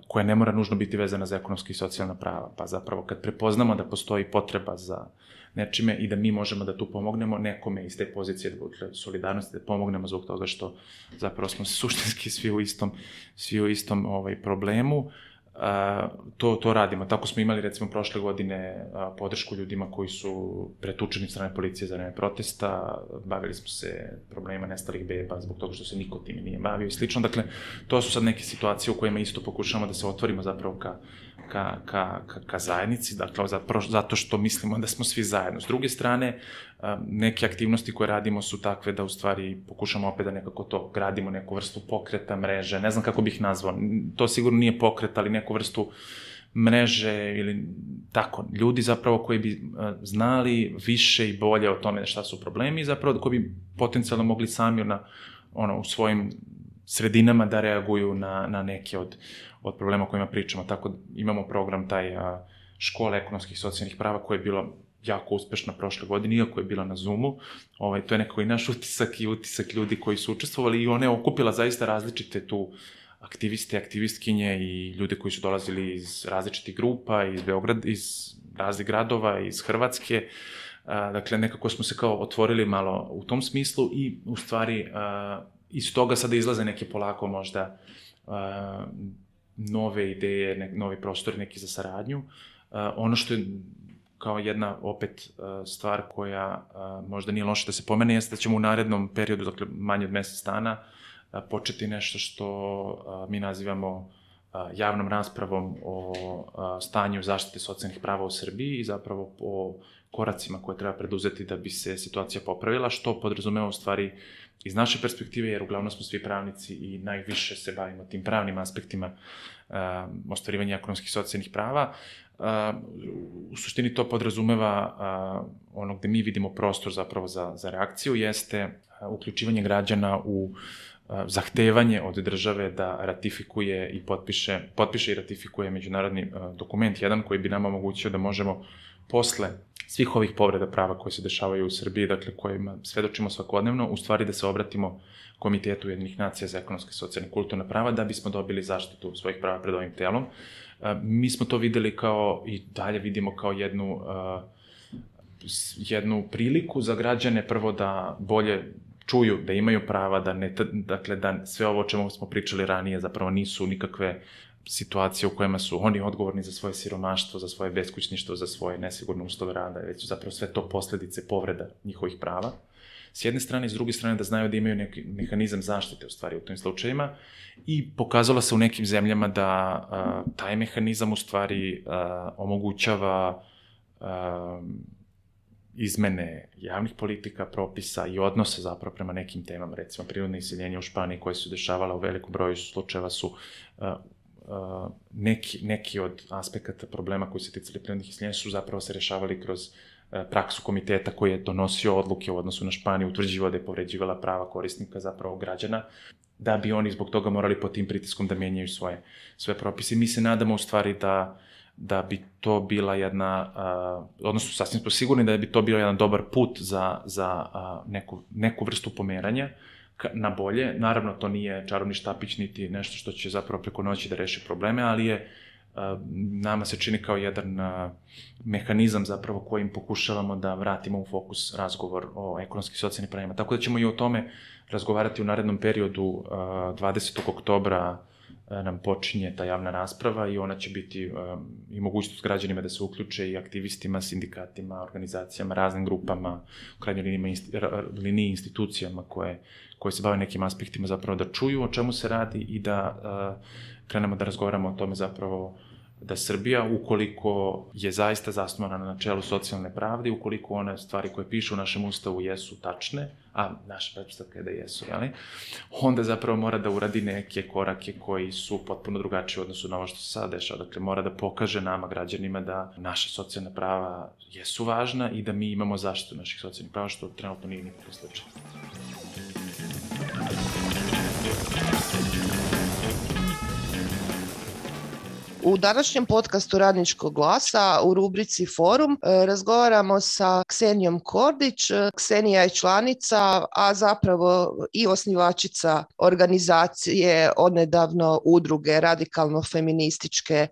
Speaker 5: koja ne mora nužno biti vezana za ekonomski i socijalna prava. Pa zapravo kad prepoznamo da postoji potreba za nečime i da mi možemo da tu pomognemo nekome iz te pozicije solidarnosti, da pomognemo zbog toga što zapravo smo suštinski svi u istom problemu, to radimo. Tako smo imali recimo prošle godine podršku ljudima koji su pretučeni od strane policije za vreme protesta, bavili smo se problemima nestalih beba zbog toga što se niko time nije bavio i slično. Dakle, to su sad neke situacije u kojima isto pokušavamo da se otvorimo zapravo ka zajednici, dakle, zato što mislimo da smo svi zajedno. S druge strane, neke aktivnosti koje radimo su takve da u stvari pokušamo opet da nekako to gradimo, neku vrstu pokreta, mreže, ne znam kako bih nazvao, to sigurno nije pokret, ali neku vrstu mreže ili tako, ljudi zapravo koji bi znali više i bolje o tome šta su problemi i zapravo koji bi potencijalno mogli sami u svojim sredinama da reaguju na neke od problema o kojima pričamo. Tako imamo program taj škole ekonomskih i socijalnih prava koja je bila jako uspešna prošle godine, iako je bila na Zoomu. To je nekako i naš utisak i utisak ljudi koji su učestvovali i ona je okupila zaista različite tu aktiviste, aktivistkinje i ljude koji su dolazili iz različitih grupa, iz Beograda, iz raznih gradova, iz Hrvatske. Dakle, nekako smo se kao otvorili malo u tom smislu i u stvari iz toga sada izlaze neke polako možda nove ideje, novi prostori neki za saradnju. Ono što je kao jedna opet stvar koja možda nije loša da se pomene, jeste da ćemo u narednom periodu, dakle manje od mesec dana, početi nešto što mi nazivamo javnom raspravom o stanju zaštite socijalnih prava u Srbiji i zapravo o koracima koje treba preduzeti da bi se situacija popravila, što podrazumeva u stvari iz naše perspektive, jer uglavnom smo svi pravnici i najviše se bavimo tim pravnim aspektima ostvarivanja ekonomskih i socijalnih prava. U suštini to podrazumeva ono gde mi vidimo prostor zapravo za reakciju, jeste uključivanje građana u zahtevanje od države da ratifikuje i potpiše i ratifikuje međunarodni dokument, jedan koji bi nama omogućio da možemo posle svih ovih povreda prava koje se dešavaju u Srbiji, dakle kojima svedočimo svakodnevno, u stvari da se obratimo Komitetu Ujedinjenih nacija za ekonomske, socijalne i kulturne prava da bismo dobili zaštitu svojih prava pred ovim telom. Mi smo to videli kao i dalje vidimo kao jednu priliku za građane, prvo da bolje čuju da imaju prava, da sve ovo o čemu smo pričali ranije zapravo nisu nikakve situacije u kojima su oni odgovorni za svoje siromaštvo, za svoje beskućništvo, za svoje nesigurne uslove rada, već su zapravo sve to posledice povreda njihovih prava. S jedne strane i s druge strane da znaju da imaju neki mehanizam zaštite u stvari u tim slučajima i pokazalo se u nekim zemljama da taj mehanizam u stvari omogućava izmene javnih politika, propisa i odnose zapravo prema nekim temama, recimo prirodne iseljenje u Španiji koje su dešavala u velikom broju slučajeva su neki od aspekata problema koji se ticali prirodnih iseljenja su zapravo se rešavali kroz praksu komiteta koji je donosio odluke u odnosu na Španiju, utvrđivao da je povređivala prava korisnika, zapravo građana, da bi oni zbog toga morali pod tim pritiskom da menjaju svoje propise. Mi se nadamo u stvari da bi to bila jedna, odnosno sasvim smo sigurni da bi to bio jedan dobar put za neku vrstu pomeranja na bolje. Naravno, to nije čarobni štapić niti nešto što će zapravo preko noći da reši probleme, ali je nama se čini kao jedan mehanizam zapravo kojim pokušavamo da vratimo u fokus razgovor o ekonomskim i socijalnim pravima. Tako da ćemo i o tome razgovarati u narednom periodu. 20. oktobra nam počinje ta javna rasprava i ona će biti i mogućnost građanima da se uključe i aktivistima, sindikatima, organizacijama, raznim grupama, u krajnjoj liniji institucijama koje se bave nekim aspektima zapravo da čuju o čemu se radi i da krenemo da razgovaramo o tome zapravo da Srbija, ukoliko je zaista zasnovana na načelu socijalne pravde, ukoliko one stvari koje pišu u našem ustavu jesu tačne, a naša pretpostavka je da jesu, onda zapravo mora da uradi neke korake koji su potpuno drugačiji u odnosu na ovo što se sada dešava. Dakle, mora da pokaže nama, građanima, da naša socijalna prava jesu važna i da mi imamo zaštitu naših socijalnih prava, što trenutno nije nikakav slučaj.
Speaker 6: U današnjem podcastu Radničkog glasa u rubrici Forum razgovaramo sa Ksenijom Kordić. Ksenija je članica, a zapravo i osnivačica organizacije odnedavno udruge radikalno-feminističke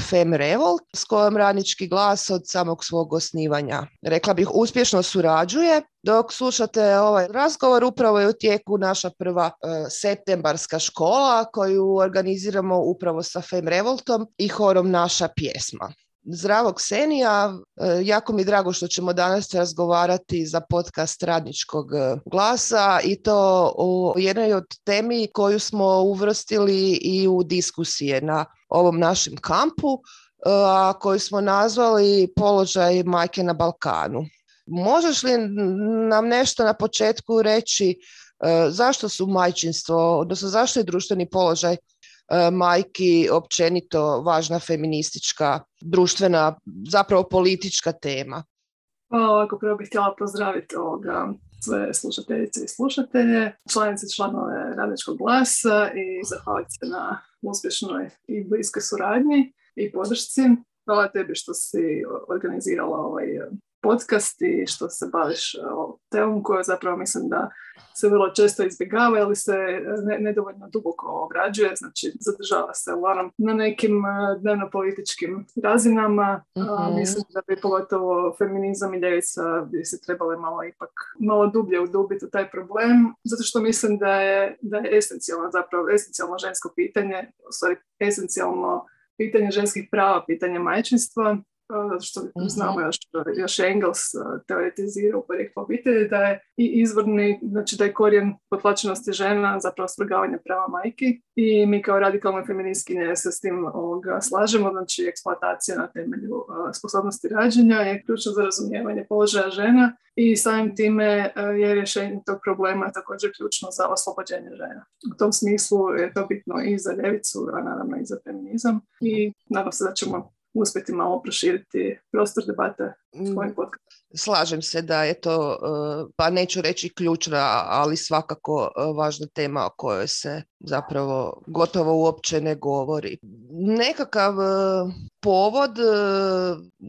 Speaker 6: FemRevolt, s kojom Radnički glas od samog svog osnivanja, rekla bih, uspješno surađuje. Dok slušate ovaj razgovor, upravo je u tijeku naša prva septembarska škola koju organiziramo upravo sa FemRevoltom i horom Naša pjesma. Zdravo Ksenija, jako mi je drago što ćemo danas razgovarati za podcast Radničkog glasa i to o jednoj od temi koju smo uvrstili i u diskusije na ovom našem kampu, a koju smo nazvali Položaj majke na Balkanu. Možeš li nam nešto na početku reći zašto su majčinstvo, odnosno zašto je društveni položaj majki općenito važna feministička, društvena, zapravo politička tema?
Speaker 7: Ovako, prvo bih htjela pozdraviti sve slušateljice i slušatelje, članice i članove Radničkog glasa i zahvaliti se na uspješnoj i bliskoj suradnji i podršci. Hvala tebi što si organizirala ovaj podcast i što se baviš o temom koju zapravo mislim da se vrlo često izbjegava ili se nedovoljno duboko obrađuje, znači zadržava se uglavnom na nekim dnevno-političkim razinama. Mislim da bi pogotovo feminizam i ljevica bi se trebali malo dublje udubiti u taj problem, zato što mislim da je esencijalno žensko pitanje, u stvari esencijalno pitanje ženskih prava, pitanje majčinstva, zato što znamo još Engels teoretizira u porijeklu obitelji da je i izvorni, znači da je korijen potlačenosti žena zapravo svrgavanje prava majki i mi kao radikalne feministkinje se s tim slažemo, znači eksploatacija na temelju sposobnosti rađanja je ključno za razumijevanje položaja žena i samim time je rješenje tog problema također ključno za oslobođenje žena. U tom smislu je to bitno i za ljevicu, a naravno i za feminizam i nadam se da ćemo uspjeti malo proširiti prostor debate s tvojim podcastom.
Speaker 6: Slažem se da je to, pa neću reći ključna, ali svakako važna tema o kojoj se zapravo gotovo uopće ne govori. Nekakav povod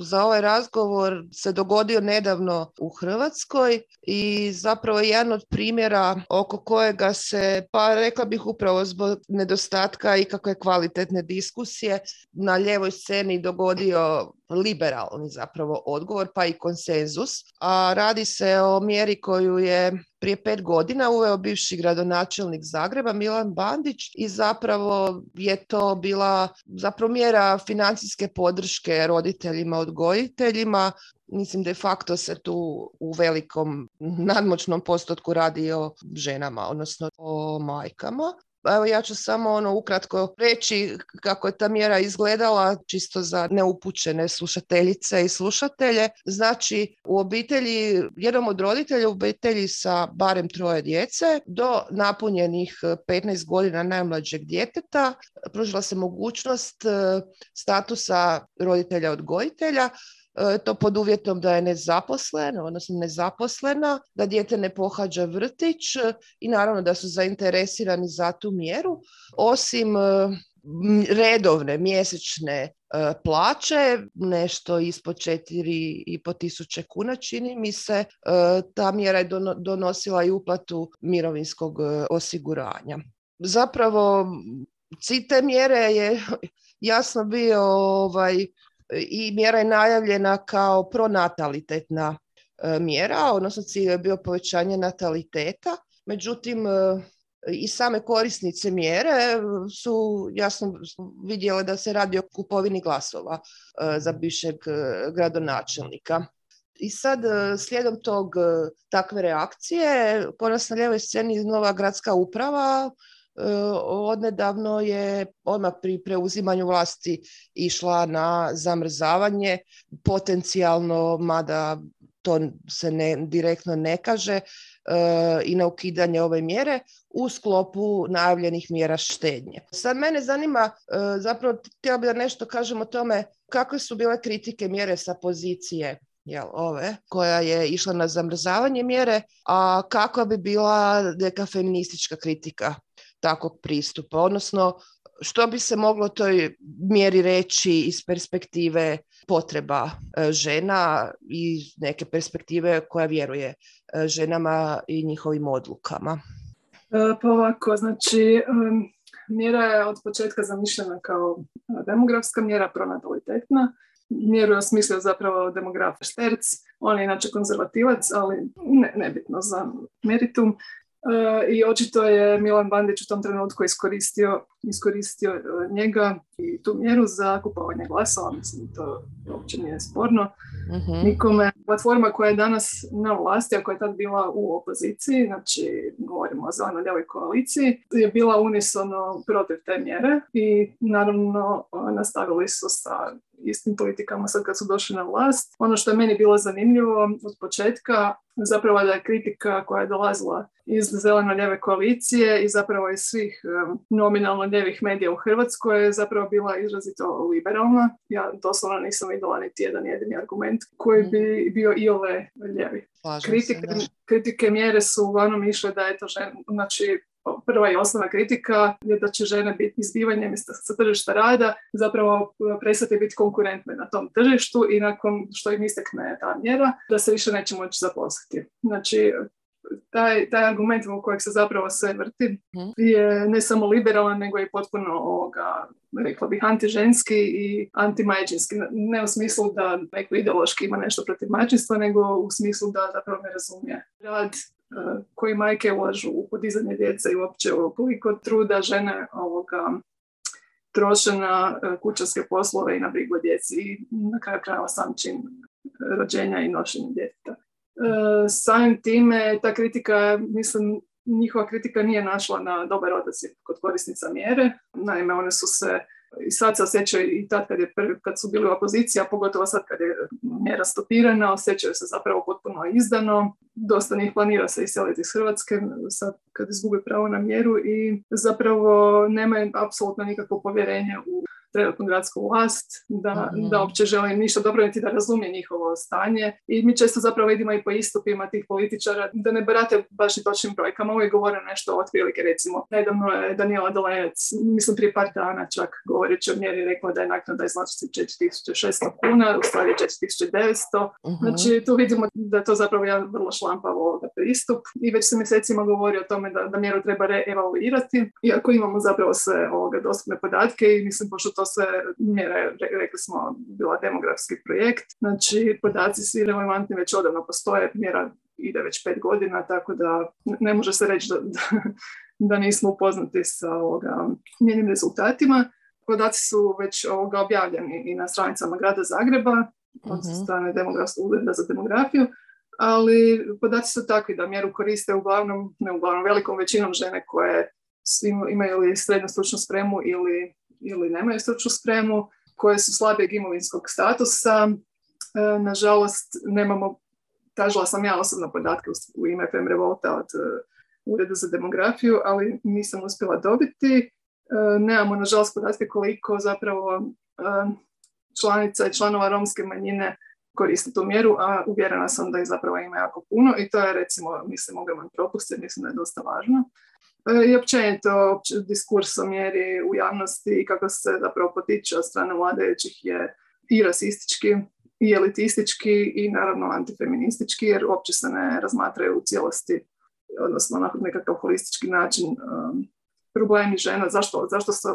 Speaker 6: za ovaj razgovor se dogodio nedavno u Hrvatskoj i zapravo je jedan od primjera oko kojega se, pa rekla bih upravo zbog nedostatka i kakve kvalitetne diskusije na lijevoj sceni dogodio liberalni zapravo odgovor, pa i konsenzus. A radi se o mjeri koju je prije 5 godina uveo bivši gradonačelnik Zagreba Milan Bandić i zapravo je to bila zapravo mjera financijske podrške roditeljima, odgojiteljima. Mislim, de facto se tu u velikom nadmoćnom postotku radi o ženama, odnosno o majkama. Evo ja ću samo ukratko reći kako je ta mjera izgledala, čisto za neupućene slušateljice i slušatelje. Znači, u obitelji, jednom od roditelja u obitelji sa barem 3 djece do napunjenih 15 godina najmlađeg djeteta pružila se mogućnost statusa roditelja odgojitelja, to pod uvjetom da je nezaposlena, da dijete ne pohađa vrtić i naravno da su zainteresirani za tu mjeru. Osim redovne mjesečne plaće, nešto ispod 4.500 kuna, čini mi se, ta mjera je donosila i uplatu mirovinskog osiguranja. Zapravo, cilj te mjere je jasno bio i mjera je najavljena kao pronatalitetna mjera, odnosno cilj je bio povećanje nataliteta. Međutim, i same korisnice mjere su jasno vidjele da se radi o kupovini glasova za bivšeg gradonačelnika. I sad, slijedom takve reakcije, kod nas na lijevoj sceni nova gradska uprava odnedavno je odmah pri preuzimanju vlasti išla na zamrzavanje, potencijalno, mada to se direktno ne kaže, i na ukidanje ove mjere u sklopu najavljenih mjera štednje. Sad mene zanima, zapravo htjela bih da nešto kažem o tome kakve su bile kritike mjere sa pozicije koja je išla na zamrzavanje mjere, a kakva bi bila neka feministička kritika takvog pristupa, odnosno Što bi se moglo toj mjeri reći iz perspektive potreba žena i neke perspektive koja vjeruje ženama i njihovim odlukama?
Speaker 7: Pa ovako, znači, mjera je od početka zamišljena kao demografska mjera, pronatalitetna. Mjeru je osmislio zapravo demograf Šterc, on je inače konzervativac, ali nebitno za meritum. I očito je Milan Bandić u tom trenutku iskoristio njega i tu mjeru za kupovanje glasova, mislim to uopće nije sporno. Nikome. Platforma koja je danas na vlasti, a koja je tad bila u opoziciji, znači govorimo o zeleno-lijevoj koaliciji, je bila unisono protiv te mjere i naravno nastavili su sa istim politikama sad kad su došli na vlast. Ono što je meni bilo zanimljivo od početka, zapravo da je kritika koja je dolazila iz zeleno-lijeve koalicije i zapravo iz svih nominalno lijevih medija u Hrvatskoj je zapravo bila izrazito liberalna. Ja doslovno nisam vidjela niti jedan jedini argument koji bi bio iole lijevi. Kritike mjere su uglavnom išle da je to znači prva i osnovna kritika je da će žene biti izbivanjem sa tržišta rada, zapravo prestati biti konkurentne na tom tržištu i nakon što im istekne ta mjera, da se više neće moći zaposliti. Znači, taj argument u kojeg se zapravo sve vrti je ne samo liberalan, nego i potpuno rekla bih antiženski i antimajčinski. Ne u smislu da neko ideološki ima nešto protiv majčinstva, nego u smislu da zapravo ne razumije rad koji majke ulažu u podizanje djece i uopće koliko truda žene troše na kućanske poslove i na brigu o djeci i na kraju krajeva sam čin rođenja i nošenja djeteta. Samim time ta kritika, mislim, njihova kritika nije našla na dobar odaziv kod korisnica mjere. Naime, one su se i sad se osjećaju i tad kad su bili u opoziciji, a pogotovo sad kad je mjera stopirana, osjećaju se zapravo potpuno izdano. Dosta njih planira se iseliti iz Hrvatske sad kad izgubi pravo na mjeru i zapravo nemaju apsolutno nikakvo povjerenje u trenutnu gradsku vlast, da uopće žele ništa dobro niti da razumije njihovo stanje. I mi često zapravo vidimo i po istupima tih političara da ne barate baš i točnim brojkama, uvijek govore nešto otprilike, recimo. Nedavno je Danijela Dolenec, mislim prije par dana čak govoreći o mjeri, rekla da je naknada iznosi 4.600 kuna, u stvari 4.900. Znači tu vidimo da je to zapravo jedan vrlo šlampav pristup i već se mjesecima govori o tome da mjeru treba reevaluirati, iako imamo zapravo sve dostupne podatke i mislim pošto to sve mjere, rekli smo, bila demografski projekt. Znači, podaci svi relevantni već odavno postoje, mjera ide već 5 godina, tako da ne može se reći da nismo upoznati sa njenim rezultatima. Podaci su već objavljeni i na stranicama grada Zagreba, od strane demografskog ureda za demografiju, ali podaci su takvi da mjeru koriste velikom većinom žene koje imaju li srednju stručnu spremu ili nemaju stručnu spremu, koje su slabijeg imovinskog statusa. Nažalost, nemamo, tražila sam ja osobno podatke u ime Fem Revolta od Ureda za demografiju, ali nisam uspjela dobiti. Nemamo, nažalost, podatke koliko zapravo članica i članova romske manjine koriste tu mjeru, a uvjerena sam da ih zapravo ima jako puno i to je, recimo, mislim, ogroman propust, jer mislim da je dosta važno. I općenito diskurs o mjeri u javnosti i kako se zapravo potiče od strane vladajućih je i rasistički, i elitistički i naravno antifeministički, jer uopće se ne razmatraju u cijelosti, odnosno na nekakav holistički način problemi žena,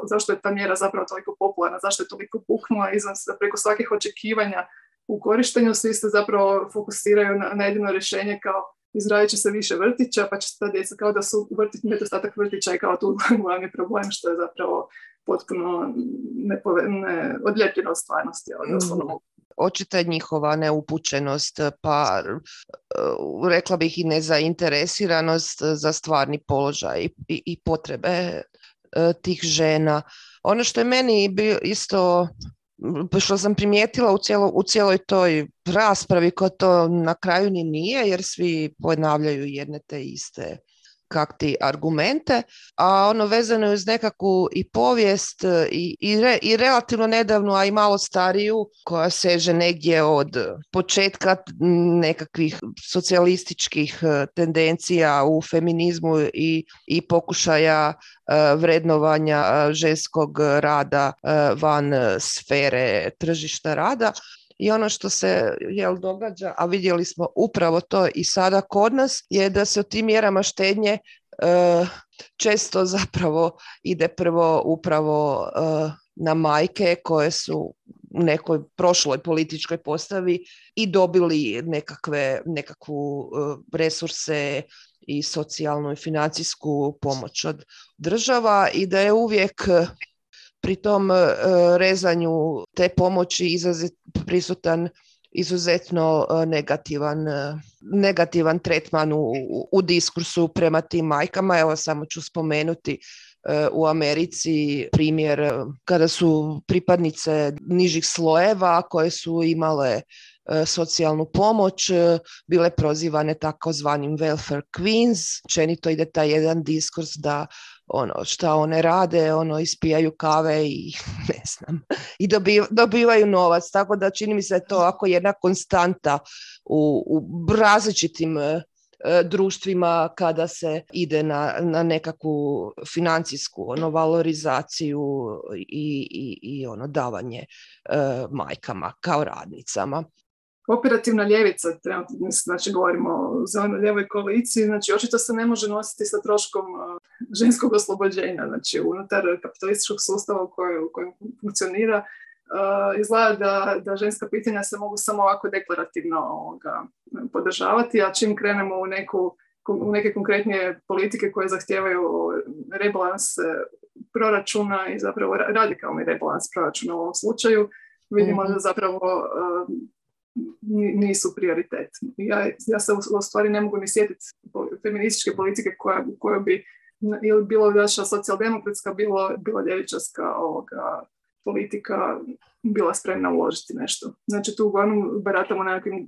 Speaker 7: zašto je ta mjera zapravo toliko popularna, zašto je toliko puknula izvan se preko svakih očekivanja u korištenju, svi se zapravo fokusiraju na jedino rješenje kao izradit će se više vrtića, pa će se ta djeca kao da su nedostatak vrtića i kao tu glavni problem, što je zapravo potpuno odljepljeno od stvarnosti.
Speaker 6: Očita je njihova neupućenost, pa rekla bih i nezainteresiranost za stvarni položaj i potrebe tih žena. Ono što je meni isto, što sam primijetila u cijeloj toj raspravi, koja to na kraju ni nije, jer svi ponavljaju jedne te iste kakti argumente, a ono vezano je uz nekakvu i povijest i relativno nedavnu, a i malo stariju, koja seže negdje od početka nekakvih socijalističkih tendencija u feminizmu i pokušaja vrednovanja ženskog rada van sfere tržišta rada. I ono što se događa, a vidjeli smo upravo to i sada kod nas, je da se o tim mjerama štednje često zapravo ide prvo upravo na majke koje su u nekoj prošloj političkoj postavi i dobili nekakvu resurse i socijalnu i financijsku pomoć od država i da je uvijek pri tom rezanju te pomoći prisutan izuzetno negativan tretman u diskursu prema tim majkama. Evo samo ću spomenuti u Americi primjer kada su pripadnice nižih slojeva koje su imale socijalnu pomoć, bile prozivane takozvanim welfare queens. Čenito ide taj jedan diskurs da šta one rade, ispijaju kave i ne znam, i dobivaju novac. Tako da čini mi se to ako jedna konstanta u različitim društvima kada se ide na nekakvu financijsku valorizaciju i davanje majkama kao radnicama.
Speaker 7: Operativna ljevica, znači govorimo o zeleno-lijevoj koaliciji, znači očito se ne može nositi sa troškom ženskog oslobođenja, znači unutar kapitalističkog sustava u kojem funkcionira, izgleda da ženska pitanja se mogu samo ovako deklarativno podržavati, a čim krenemo u neke konkretnije politike koje zahtijevaju rebalans proračuna i zapravo radikalni rebalans proračuna u ovom slučaju, vidimo da zapravo nisu prioritet. Ja se u stvari ne mogu ni sjetiti feminističke politike koja bi ili bilo naša socijaldemokratska, bilo ljevičarska politika bila spremna uložiti nešto. Znači tu uglavnom baratamo nekakvim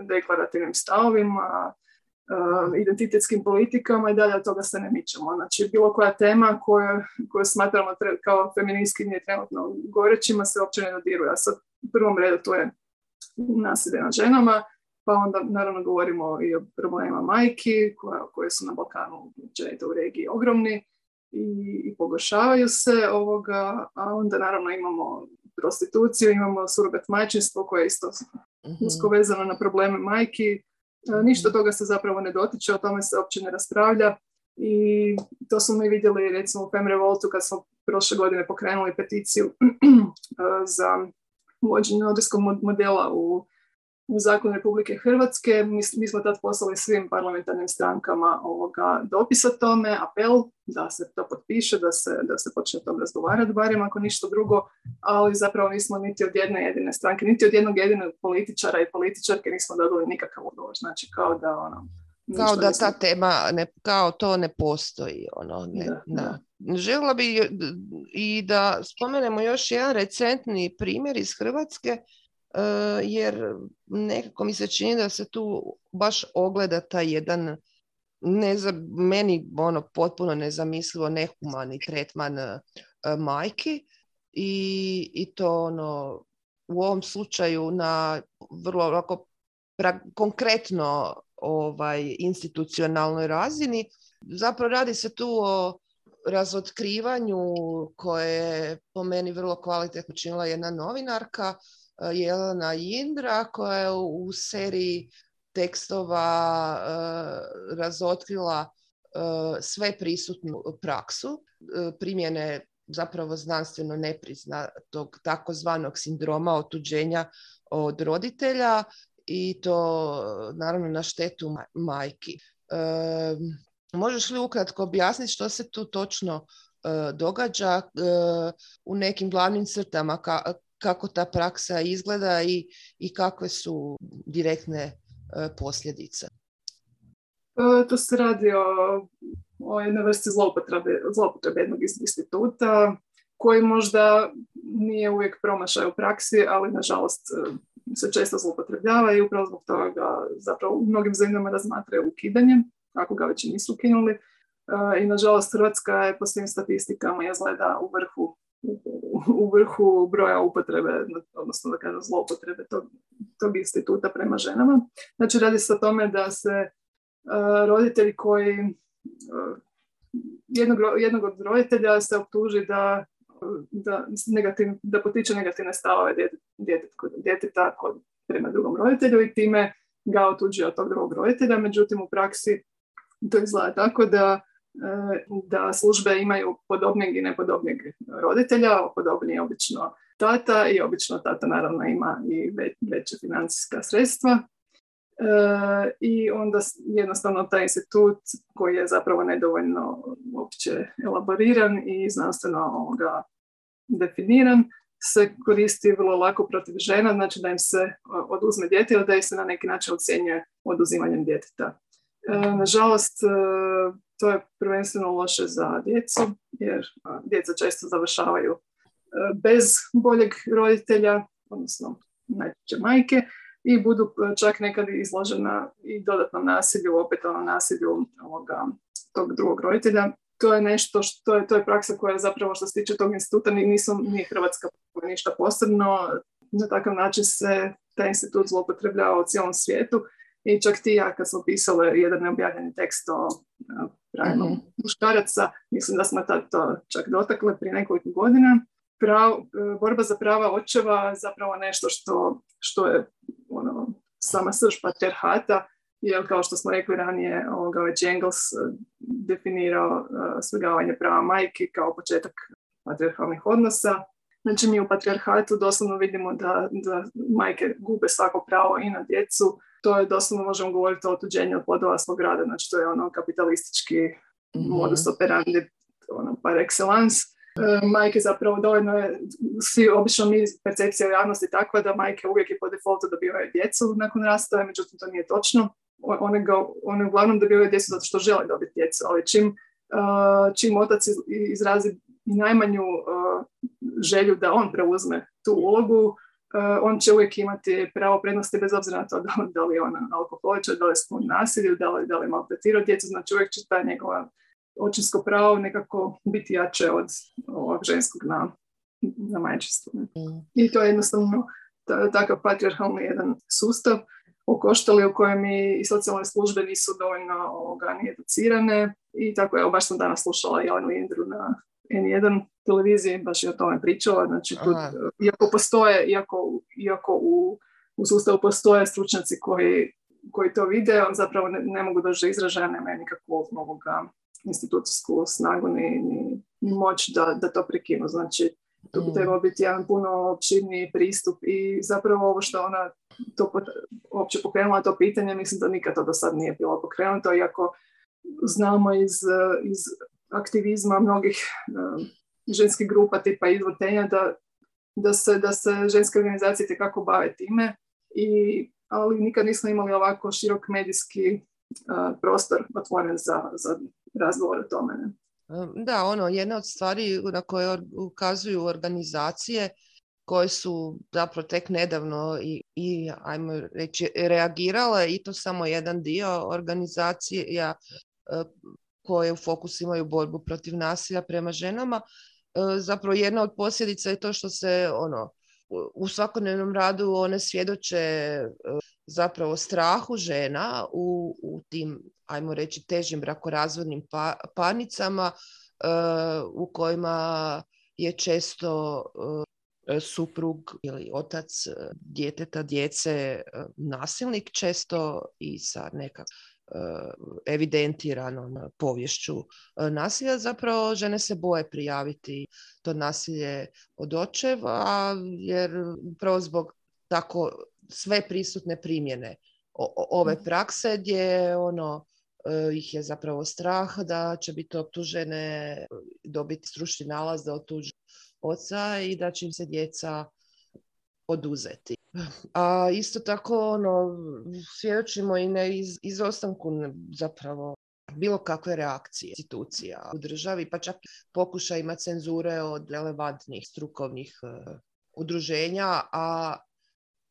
Speaker 7: deklarativnim stavovima, identitetskim politikama i dalje od toga se ne mičemo. Znači bilo koja tema koju smatramo kao feministkinje trenutno gorećima se uopće ne dodiruje. A sad u prvom redu to je nasilje nad ženama, pa onda naravno govorimo i o problemima majki koje su na Balkanu u regiji ogromni i pogoršavaju se a onda naravno imamo prostituciju, imamo surogat majčinstvo koje je isto usko vezano na probleme majki. Ništa toga se zapravo ne dotiče, o tome se uopće ne raspravlja i to smo mi vidjeli recimo u Fem Revoltu kad smo prošle godine pokrenuli peticiju za uvođenje nordijskog modela u zakon Republike Hrvatske. Mi smo tad poslali svim parlamentarnim strankama dopis o tome, apel da se to potpiše, da se počne o tom razgovarati, barem ako ništa drugo, ali zapravo nismo niti od jedne jedine stranke, niti od jednog jedinog političara i političarke nismo dobili nikakav odgovor. Znači kao da
Speaker 6: ta tema kao to ne postoji. Da. Željela bi i da spomenemo još jedan recentni primjer iz Hrvatske, jer nekako mi se čini da se tu baš ogleda taj jedan meni potpuno nezamislivo nehumani tretman majki i to u ovom slučaju na vrlo konkretno institucionalnoj razini. Zapravo radi se tu o razotkrivanju koje je po meni vrlo kvalitetno činila jedna novinarka, Jelena Jindra, koja je u seriji tekstova razotkrila sve prisutnu praksu primjene zapravo znanstveno nepriznatog takozvanog sindroma otuđenja od roditelja i to naravno na štetu majki. Možeš li ukratko objasniti što se tu točno događa u nekim glavnim crtama, kako ta praksa izgleda i kakve su direktne posljedice?
Speaker 7: Tu se radi o jednoj vrsti zloupotrebe jednog instituta koji možda nije uvijek promašaj u praksi, ali nažalost se često zloupotrebljava i upravo zbog toga zapravo u mnogim zemljama razmatraju ukidanje ako ga već nisu ukinuli. I nažalost Hrvatska je po svim statistikama izgleda u vrhu broja upotrebe, odnosno da kažem zloupotrebe tog instituta prema ženama. Znači radi se o tome da se roditelji koji jednog od roditelja se optuži da potiče negativne stavove djeteta prema drugom roditelju i time ga otuđuje od tog drugog roditelja. Međutim, u praksi to izgleda tako da službe imaju podobnijeg i nepodobnijeg roditelja. Podobniji je obično tata i obično tata naravno ima i veće financijska sredstva. I onda jednostavno taj institut koji je zapravo nedovoljno uopće elaboriran i znanstveno definiran se koristi vrlo lako protiv žena, znači da im se oduzme dijete ili da ih se na neki način ocjenjuje oduzimanjem djeteta. Nažalost, to je prvenstveno loše za djecu, jer djeca često završavaju bez boljeg roditelja, odnosno najčešće majke, i budu čak nekad izložena i dodatnom nasilju, opetovanom nasilju tog drugog roditelja. To je nešto to je praksa koja je zapravo što se tiče tog instituta nije Hrvatska ništa posebno. Na takav način se taj institut zloupotrebljava u cijelom svijetu i čak ti ja kad smo pisali jedan neobjavljeni tekst o pravima muškaraca, mislim da smo tad to čak dotakli prije nekoliko godina. Borba za prava očeva zapravo nešto što je sama srž patrijarhata, jer kao što smo rekli ranije, već Engels definirao svrgavanje prava majki kao početak patrijarhalnih odnosa. Znači mi u patrijarhatu doslovno vidimo da majke gube svako pravo i na djecu. To je doslovno, možemo govoriti o otuđenju od plodova svog rada, znači to je kapitalistički modus operandi par excellence. Majke zapravo dovoljno je, obično percepcija u javnosti takva da majke uvijek i po defaultu dobivaju djecu nakon rastaja, međutim to nije točno. One uglavnom dobivaju djecu zato što žele dobiti djecu, ali čim otac izrazi najmanju želju da on preuzme tu ulogu, on će uvijek imati pravo prednosti bez obzira na to da li je on alkoholičar, da li je sklon nasilju, da li je maltretirao djecu, znači uvijek će ta njegova očinsko pravo nekako biti jače od ovog ženskog na majčinstvu. I to je jednostavno takav patrijarhalni jedan sustav okoštali u kojem i socijalne službe nisu dovoljno ni educirane i tako je, baš sam danas slušala Jelenu Lindru na N1 televiziji, baš je o tome pričala, znači tu, iako u sustavu postoje stručnjaci koji to vide, on zapravo ne mogu doći do izražaja, nemaju nikakvu institucijsku snagu ni moć da to prekinu. Znači, tu bi trebalo biti jedan puno opširniji pristup i zapravo ovo što ona to uopće pokrenula to pitanje, mislim da nikad to do sad nije bilo pokrenuto, iako znamo iz aktivizma mnogih ženskih grupa tipa izvrtenja da se ženske organizacije tekako bave time, ali nikad nismo imali ovako širok medijski prostor otvoren za razgovor o tome. Ne?
Speaker 6: Da, jedna od stvari na koje ukazuju organizacije koje su zapravo tek nedavno i ajmo reći reagirale, i to samo jedan dio organizacija koje u fokusu imaju borbu protiv nasilja prema ženama. Zapravo jedna od posljedica je to što se u svakodnevnom radu one svjedoče zapravo strahu žena u tim, ajmo reći, težim brakorazvodnim parnicama u kojima je često suprug ili otac djece nasilnik, često i sa nekakvom evidentiranom poviješću nasilja. Zapravo žene se boje prijaviti to nasilje od očeva, jer upravo zbog tako sve prisutne primjene ove prakse gdje ih je zapravo strah da će biti optužene, dobiti stručni nalaz da otuže oca i da će im se djeca oduzeti. A isto tako svjedočimo i na izostanku zapravo bilo kakve reakcije institucija u državi, pa čak pokušajima cenzure od relevantnih strukovnih udruženja, a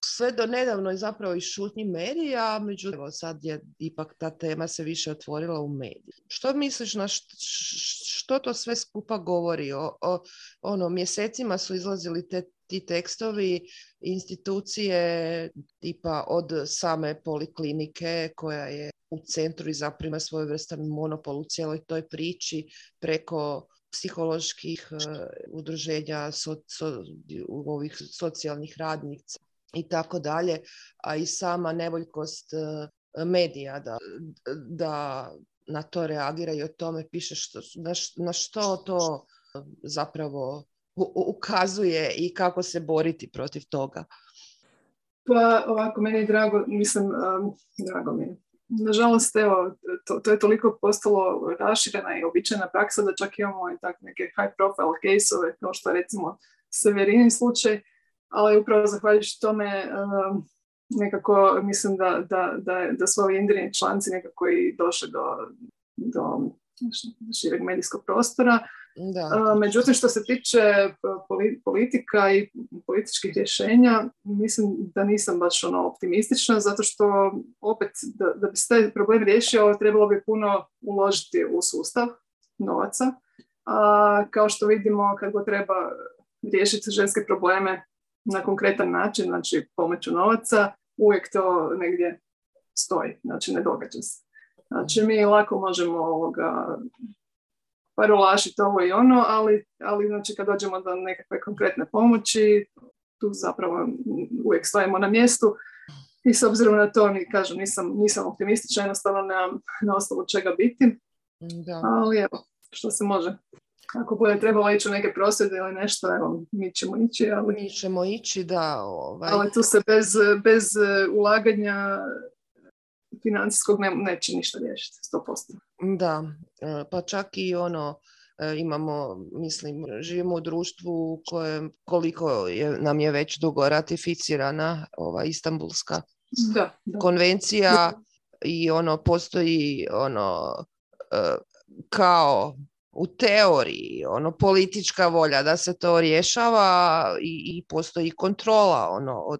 Speaker 6: sve do nedavno je zapravo i šutnji medija, međutim sad je ipak ta tema se više otvorila u mediji. Što misliš na što to sve skupa govori? Mjesecima su izlazili ti tekstovi, institucije tipa od same poliklinike koja je u centru i zaprima svojevrstan monopol u cijeloj toj priči, preko psiholoških udruženja, ovih socijalnih radnica i tako dalje, a i sama nevoljkost medija da na to reagira i o tome piše na što to zapravo ukazuje i kako se boriti protiv toga.
Speaker 7: Pa ovako, meni je drago mi je. Nažalost, evo, to je toliko postalo raširena i običajna praksa da čak imamo i tak neke high profile case-ove, kao što je recimo Severinin slučaj, ali upravo zahvaljujući tome nekako mislim da su ovi indirni članci nekako i došli do šireg medijskog prostora. Međutim, što se tiče politika i političkih rješenja, mislim da nisam baš optimistična, zato što opet da bi se taj problem riješio, trebalo bi puno uložiti u sustav novaca. A kao što vidimo, kako treba riješiti ženske probleme na konkretan način, znači pomoću novaca, uvijek to negdje stoji, znači ne događa se. Znači mi lako možemo parolašiti ovo i ono, ali znači kad dođemo do nekakve konkretne pomoći, tu zapravo uvijek stojimo na mjestu i s obzirom na to, kažem, nisam optimistična, jednostavno nemam na osnovu čega biti, ali evo, što se može. Ako bude trebalo ići u neke prosvjede ili nešto, evo, mi ćemo ići.
Speaker 6: Mi ćemo ići, da.
Speaker 7: Ali tu se bez ulaganja financijskog neće ništa riješiti, 100%.
Speaker 6: Da, pa čak i imamo, mislim, živimo u društvu u kojem koliko nam je već dugo ratificirana ova Istanbulska konvencija i postoji kao u teoriji politička volja da se to rješava i postoji kontrola od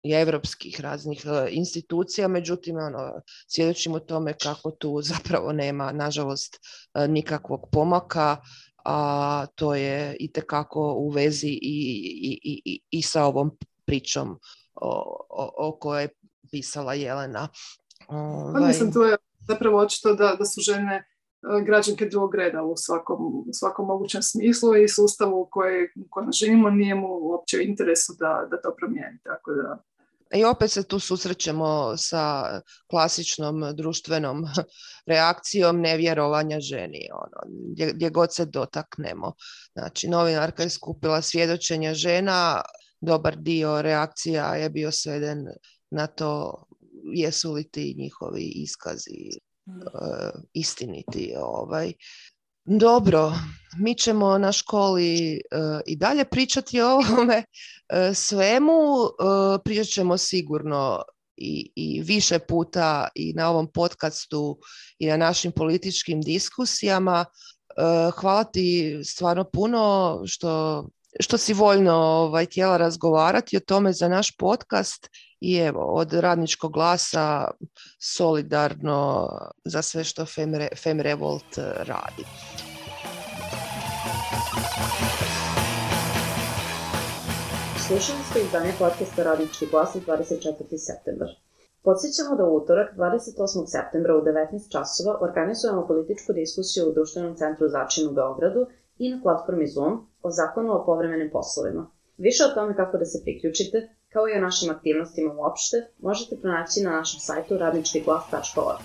Speaker 6: evropskih raznih institucija, međutim svjedočimo tome kako tu zapravo nema, nažalost, nikakvog pomaka, a to je itekako u vezi i sa ovom pričom o kojoj je pisala Jelena.
Speaker 7: Mislim, tu je zapravo očito da su žene građanke drugog reda u svakom mogućem smislu i sustavu u kojem živimo nije mu uopće u interesu da to promijeni. Tako da...
Speaker 6: I opet se tu susrećemo sa klasičnom društvenom reakcijom nevjerovanja ženi, gdje god se dotaknemo. Znači, novinarka je skupila svjedočenja žena, dobar dio reakcija je bio sveden na to jesu li ti njihovi iskazi istiniti. Dobro, mi ćemo na školi i dalje pričati o ovome svemu, pričat ćemo sigurno i više puta i na ovom podcastu i na našim političkim diskusijama. Hvala ti stvarno puno što si voljno htjela razgovarati o tome za naš podcast i evo, od Radničkog glasa solidarno za sve što FemRevolt radi.
Speaker 1: Slušali ste izdanje podcasta Radnički glas 24. septembar. Podsjećamo da u utorak 28. septembra u 19 časova organizujemo političku diskusiju u Društvenom centru Začin u Beogradu i na platformi Zoom o zakonu o povremenim poslovima. Više o tome kako da se priključite, kao i o našim aktivnostima uopšte, možete pronaći na našem sajtu radničkiglas.org.